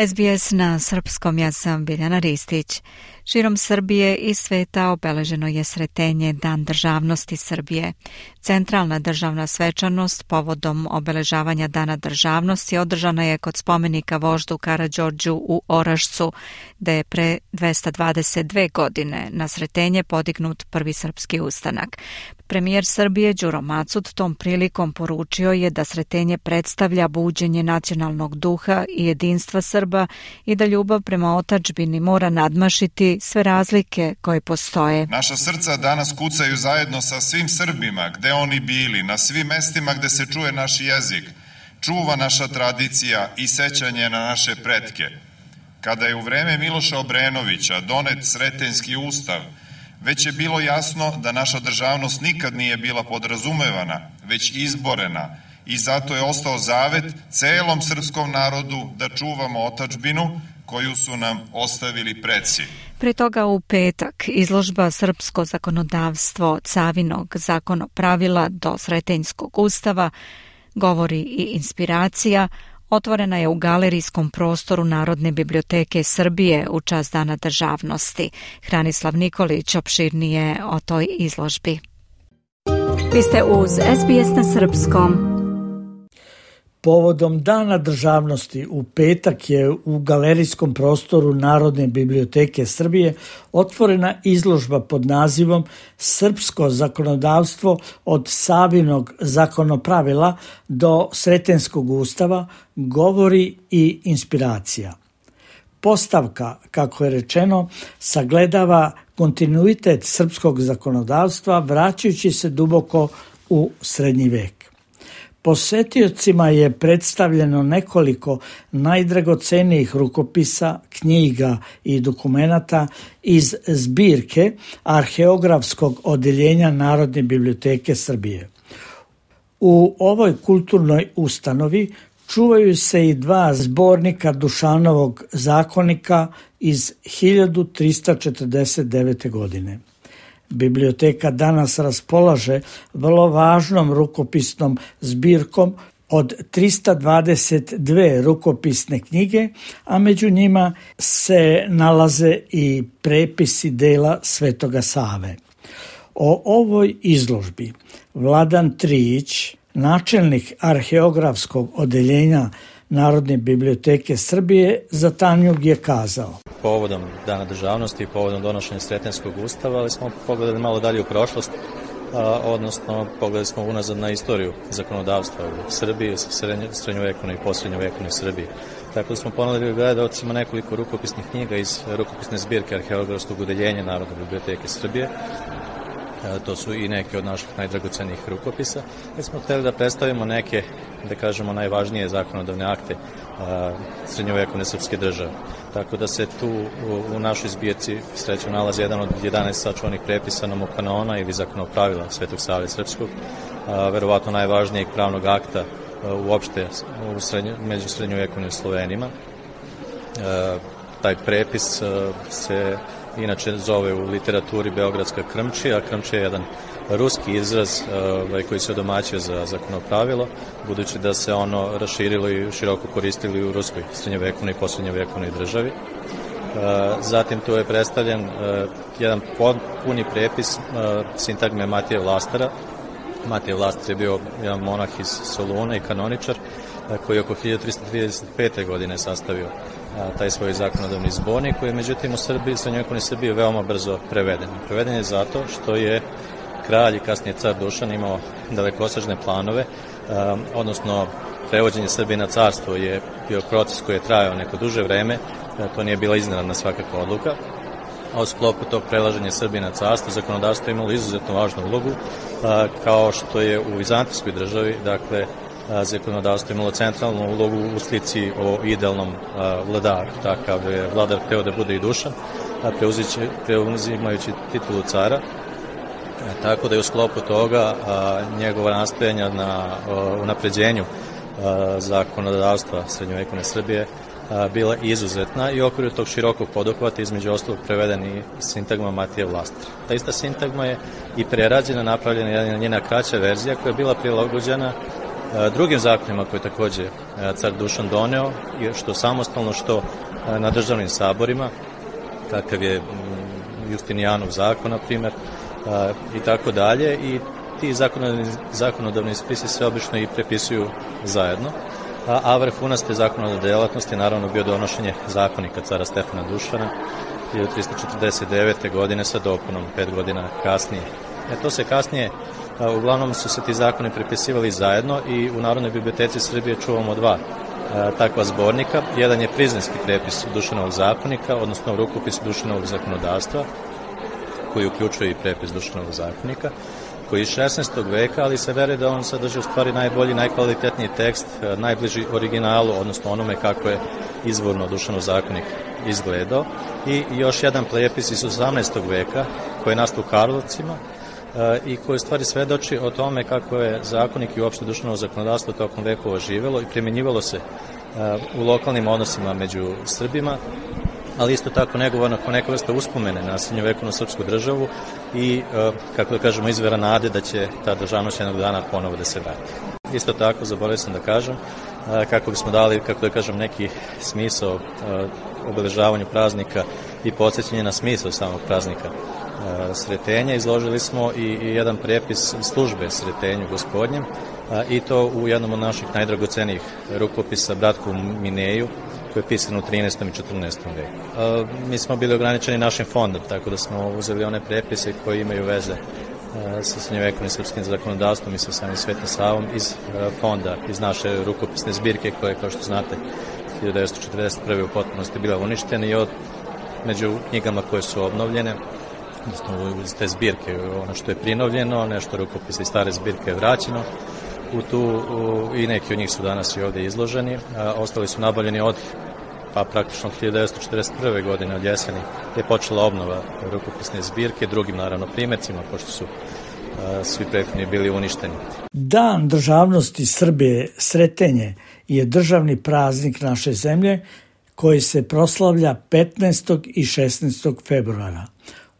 SBS na srpskom, ja sam Biljana Ristić. Širom Srbije i sveta obeleženo je Sretenje, Dan državnosti Srbije. Centralna državna svečanost povodom obeležavanja Dana državnosti održana je kod spomenika voždu Karađorđu u Orašcu, gde je pre 222 godine na Sretenje podignut prvi srpski ustanak. Premijer Srbije Đuro Macud tom prilikom poručio je da Sretenje predstavlja buđenje nacionalnog duha i jedinstva Srba i da ljubav prema otadžbini mora nadmašiti sve razlike koje postoje. Naša srca danas kucaju zajedno sa svim Srbima, gde oni bili, na svim mestima gde se čuje naš jezik, čuva naša tradicija i sećanje na naše pretke. Kada je u vreme Miloša Obrenovića donet Sretenjski ustav, već je bilo jasno da naša državnost nikad nije bila podrazumevana, već izborena, i zato je ostao zavet celom srpskom narodu da čuvamo otadžbinu koju su nam ostavili preci. Pre toga u petak izložba Srpsko zakonodavstvo Cavinog zakonopravila do Sretenjskog ustava, govori i inspiracija, otvorena je u galerijskom prostoru Narodne biblioteke Srbije u čast Dana državnosti. Hranislav Nikolić opširnije o toj izložbi. Vi ste uz SBS na srpskom. Povodom Dana državnosti u petak je u galerijskom prostoru Narodne biblioteke Srbije otvorena izložba pod nazivom Srpsko zakonodavstvo od Savinog zakonopravila do Sretenskog ustava, govori i inspiracija. Postavka, kako je rečeno, sagledava kontinuitet srpskog zakonodavstva vraćajući se duboko u srednji vek. Posetiocima je predstavljeno nekoliko najdragocenijih rukopisa, knjiga i dokumenata iz zbirke Arheografskog odeljenja Narodne biblioteke Srbije. U ovoj kulturnoj ustanovi čuvaju se i 2 zbornika Dušanovog zakonika iz 1349. godine. Biblioteka danas raspolaže vrlo važnom rukopisnom zbirkom od 322 rukopisne knjige, a među njima se nalaze i prepisi dela Svetoga Save. O ovoj izložbi Vladan Trijić, načelnik Arheografskog odeljenja Narodne biblioteke Srbije, za Tanjug je kazao: Povodom Dana državnosti i povodom donošenja Sretenskog ustava, ali smo pogledali malo dalje u prošlost, odnosno pogledali smo unazad na istoriju zakonodavstva u Srbiji, srednjovekovnoj i posrednjovekovnoj Srbiji. Tako da smo ponudili gledalcima nekoliko rukopisnih knjiga iz rukopisne zbirke Arheografskog odeljenja Narodne biblioteke Srbije. To su i neke od naših najdragocenijih rukopisa. Mi smo hteli da predstavimo neke, da kažemo, najvažnije zakonodavne akte srednjovekovne srpske države. Tako da se tu u našoj zbirci srećom nalazi jedan od 11 sačuvanih prepisa nomokanona ili zakonopravila Svetog Save Srpskog, verovatno najvažnijeg pravnog akta uopšte među srednjovekovnim Slovenima. Taj prepis se inače zove u literaturi Beogradska krmčija. Krmčija je jedan ruski izraz koji se odomaćio za zakonopravilo, budući da se ono raširilo i široko koristilo u ruskoj srednjovekovnoj i posrednjovekovnoj državi. Zatim tu je predstavljen jedan puni prepis sintagme Matije Vlastara. Matije Vlastar je bio jedan monah iz Soluna i kanoničar koji je oko 1335. godine sastavio taj svoj zakonodavni zbornik, koji je međutim u Srbiji, srednjovekovnoj Srbiji, veoma brzo preveden. Preveden je zato što je kralj i kasnije car Dušan imao dalekosežne planove, odnosno prevođenje Srbije na carstvo je bio proces koji je trajao neko duže vreme, to nije bila iznenadna svakako odluka, a u sklopu tog prelaženja Srbije na carstvo zakonodavstvo je imalo izuzetno važnu ulogu, kao što je u vizantijskoj državi, dakle, zakonodavstvo imalo centralnu ulogu u slici o idealnom vladaru. Takav je vladar hteo da bude i Dušan, preuzimajući titulu cara. Tako da je u sklopu toga njegova nastojanja na unapređenju zakonodavstva srednjovekovne Srbije bila izuzetna i u okviru tog širokog poduhvata između ostalog preveden i sintagma Matije Vlastar. Ta ista sintagma je i prerađena, napravljena jedna njena kraća verzija koja je bila prilagođena drugim zakonima koje je takođe car Dušan doneo, što samostalno, što na državnim saborima, kakav je Justinijanov zakon, na primjer, i tako dalje, i ti zakonodavni spisi se obično i prepisuju zajedno, a vrhunac te zakonodavne delatnosti naravno bio donošenje zakonika cara Stefana Dušana 1349. godine sa dopunom 5 godina kasnije. To se kasnije, uglavnom su se ti zakoni prepisivali zajedno i u Narodnoj biblioteci Srbije čuvamo 2 takva zbornika. Jedan je prizrenski prepis Dušanovog zakonika, odnosno rukopis Dušanovog zakonodavstva, koji uključuje i prepis Dušanovog zakonika, koji je iz 16. veka, ali se veruje da on sadrži u stvari najbolji, najkvalitetniji tekst, najbliži originalu, odnosno onome kako je izvorno Dušanov zakonik izgledao. I još jedan prepis iz 18. veka, koji je nastao u Karlovcima, i koji u stvari svedoči o tome kako je zakonik i uopšte Dušanovo zakonodavstvo tokom vekova živelo i primjenjivalo se u lokalnim odnosima među Srbima, ali isto tako negovano kao neka vrsta uspomene na srednjovekovnu srpsku državu i, kako da kažemo, izvera nade da će ta državnost jednog dana ponovo da se vrati. Isto tako, zaboravio sam da kažem, kako bismo dali, kako da kažem, neki smisao obeležavanju praznika i podsjećanje na smisao samog praznika Sretenja, izložili smo i jedan prepis službe Sretenju Gospodnjem, i to u jednom od naših najdragocenijih rukopisa, Bratku Mineju, koji je pisan u 13. i 14. veku. Mi smo bili ograničeni našim fondom, tako da smo uzeli one prepise koji imaju veze sa srednjovekovnim srpskim zakonodavstvom i sa samim Svetim Savom iz fonda, iz naše rukopisne zbirke koje, kao što znate, 1941. u potpunosti bila uništena i među knjigama koje su obnovljene, iz te zbirke, ono što je prinovljeno, nešto rukopisa iz stare zbirke je vraćeno i neki od njih su danas i ovde izloženi. Ostali su nabavljeni od praktično 1941. godine od jeseni je počela obnova rukopisne zbirke, drugim naravno primjercima, pošto su svi prethodni bili uništeni. Dan državnosti Srbije, Sretenje, je državni praznik naše zemlje koji se proslavlja 15. i 16. februara.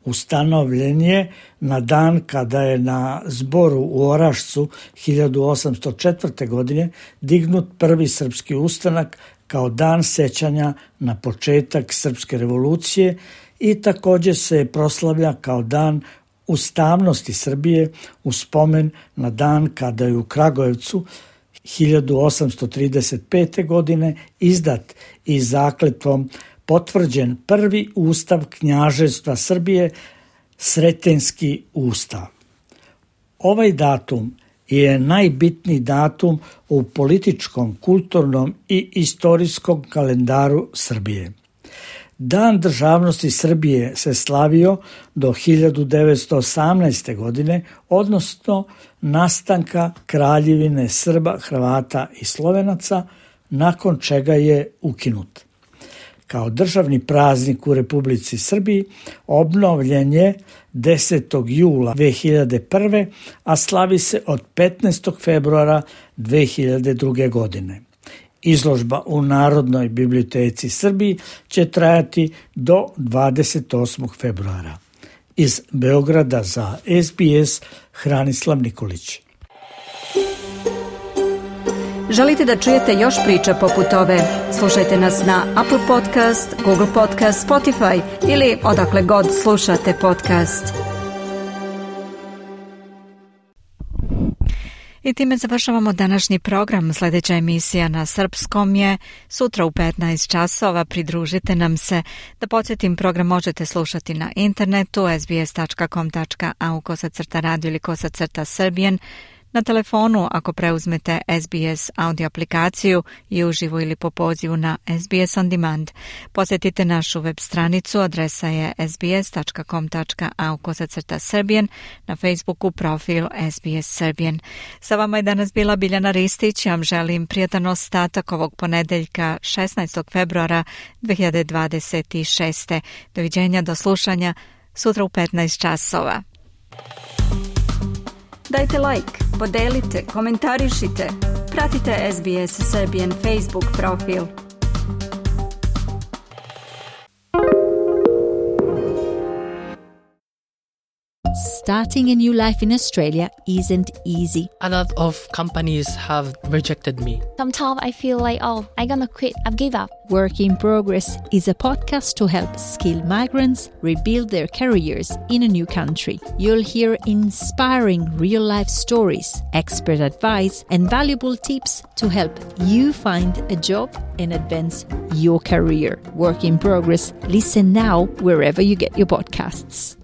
Ustanovljen je na dan kada je na zboru u Orašcu 1804. godine dignut prvi srpski ustanak kao dan sećanja na početak srpske revolucije i također se proslavlja kao dan ustavnosti Srbije u spomen na dan kada je u Kragujevcu 1835. godine izdat i zakletvom potvrđen prvi ustav Knjaževstva Srbije, Sretenjski ustav. Ovaj datum je najbitniji datum u političkom, kulturnom i istorijskom kalendaru Srbije. Dan državnosti Srbije se slavio do 1918. godine, odnosno nastanka Kraljevine Srba, Hrvata i Slovenaca, nakon čega je ukinut. Kao državni praznik u Republici Srbiji obnovljen je 10. jula 2001. a slavi se od 15. februara 2002. godine. Izložba u Narodnoj biblioteci Srbiji će trajati do 28. februara. Iz Beograda za SBS Hranislav Nikolić. Želite da čujete još priča poput ove? Slušajte nas na Apple Podcast, Google Podcast, Spotify ili odakle god slušate podcast. I time završavamo današnji program. Sljedeća emisija na srpskom je sutra u 15 časova. Pridružite nam se. Da podsjetim, program možete slušati na internetu sbs.com.au/radio ili /Serbian. Na telefonu ako preuzmete SBS audio aplikaciju i uživo ili po pozivu na SBS On Demand. Posjetite našu web stranicu, adresa je sbs.com.au/Serbian, na Facebooku profil SBS Serbian. Sa vama je danas bila Biljana Ristić. Ja vam želim prijatan ostatak ovog ponedeljka 16. februara 2026. Doviđenja, do slušanja sutra u 15 časova. Dajte like, podelite, komentarišite. Pratite SBS Serbian Facebook profil. Starting a new life in Australia isn't easy. A lot of companies have rejected me. Sometimes I feel like, I'm gonna quit, I've give up. Work in Progress is a podcast to help skilled migrants rebuild their careers in a new country. You'll hear inspiring real-life stories, expert advice, and valuable tips to help you find a job and advance your career. Work in Progress. Listen now wherever you get your podcasts.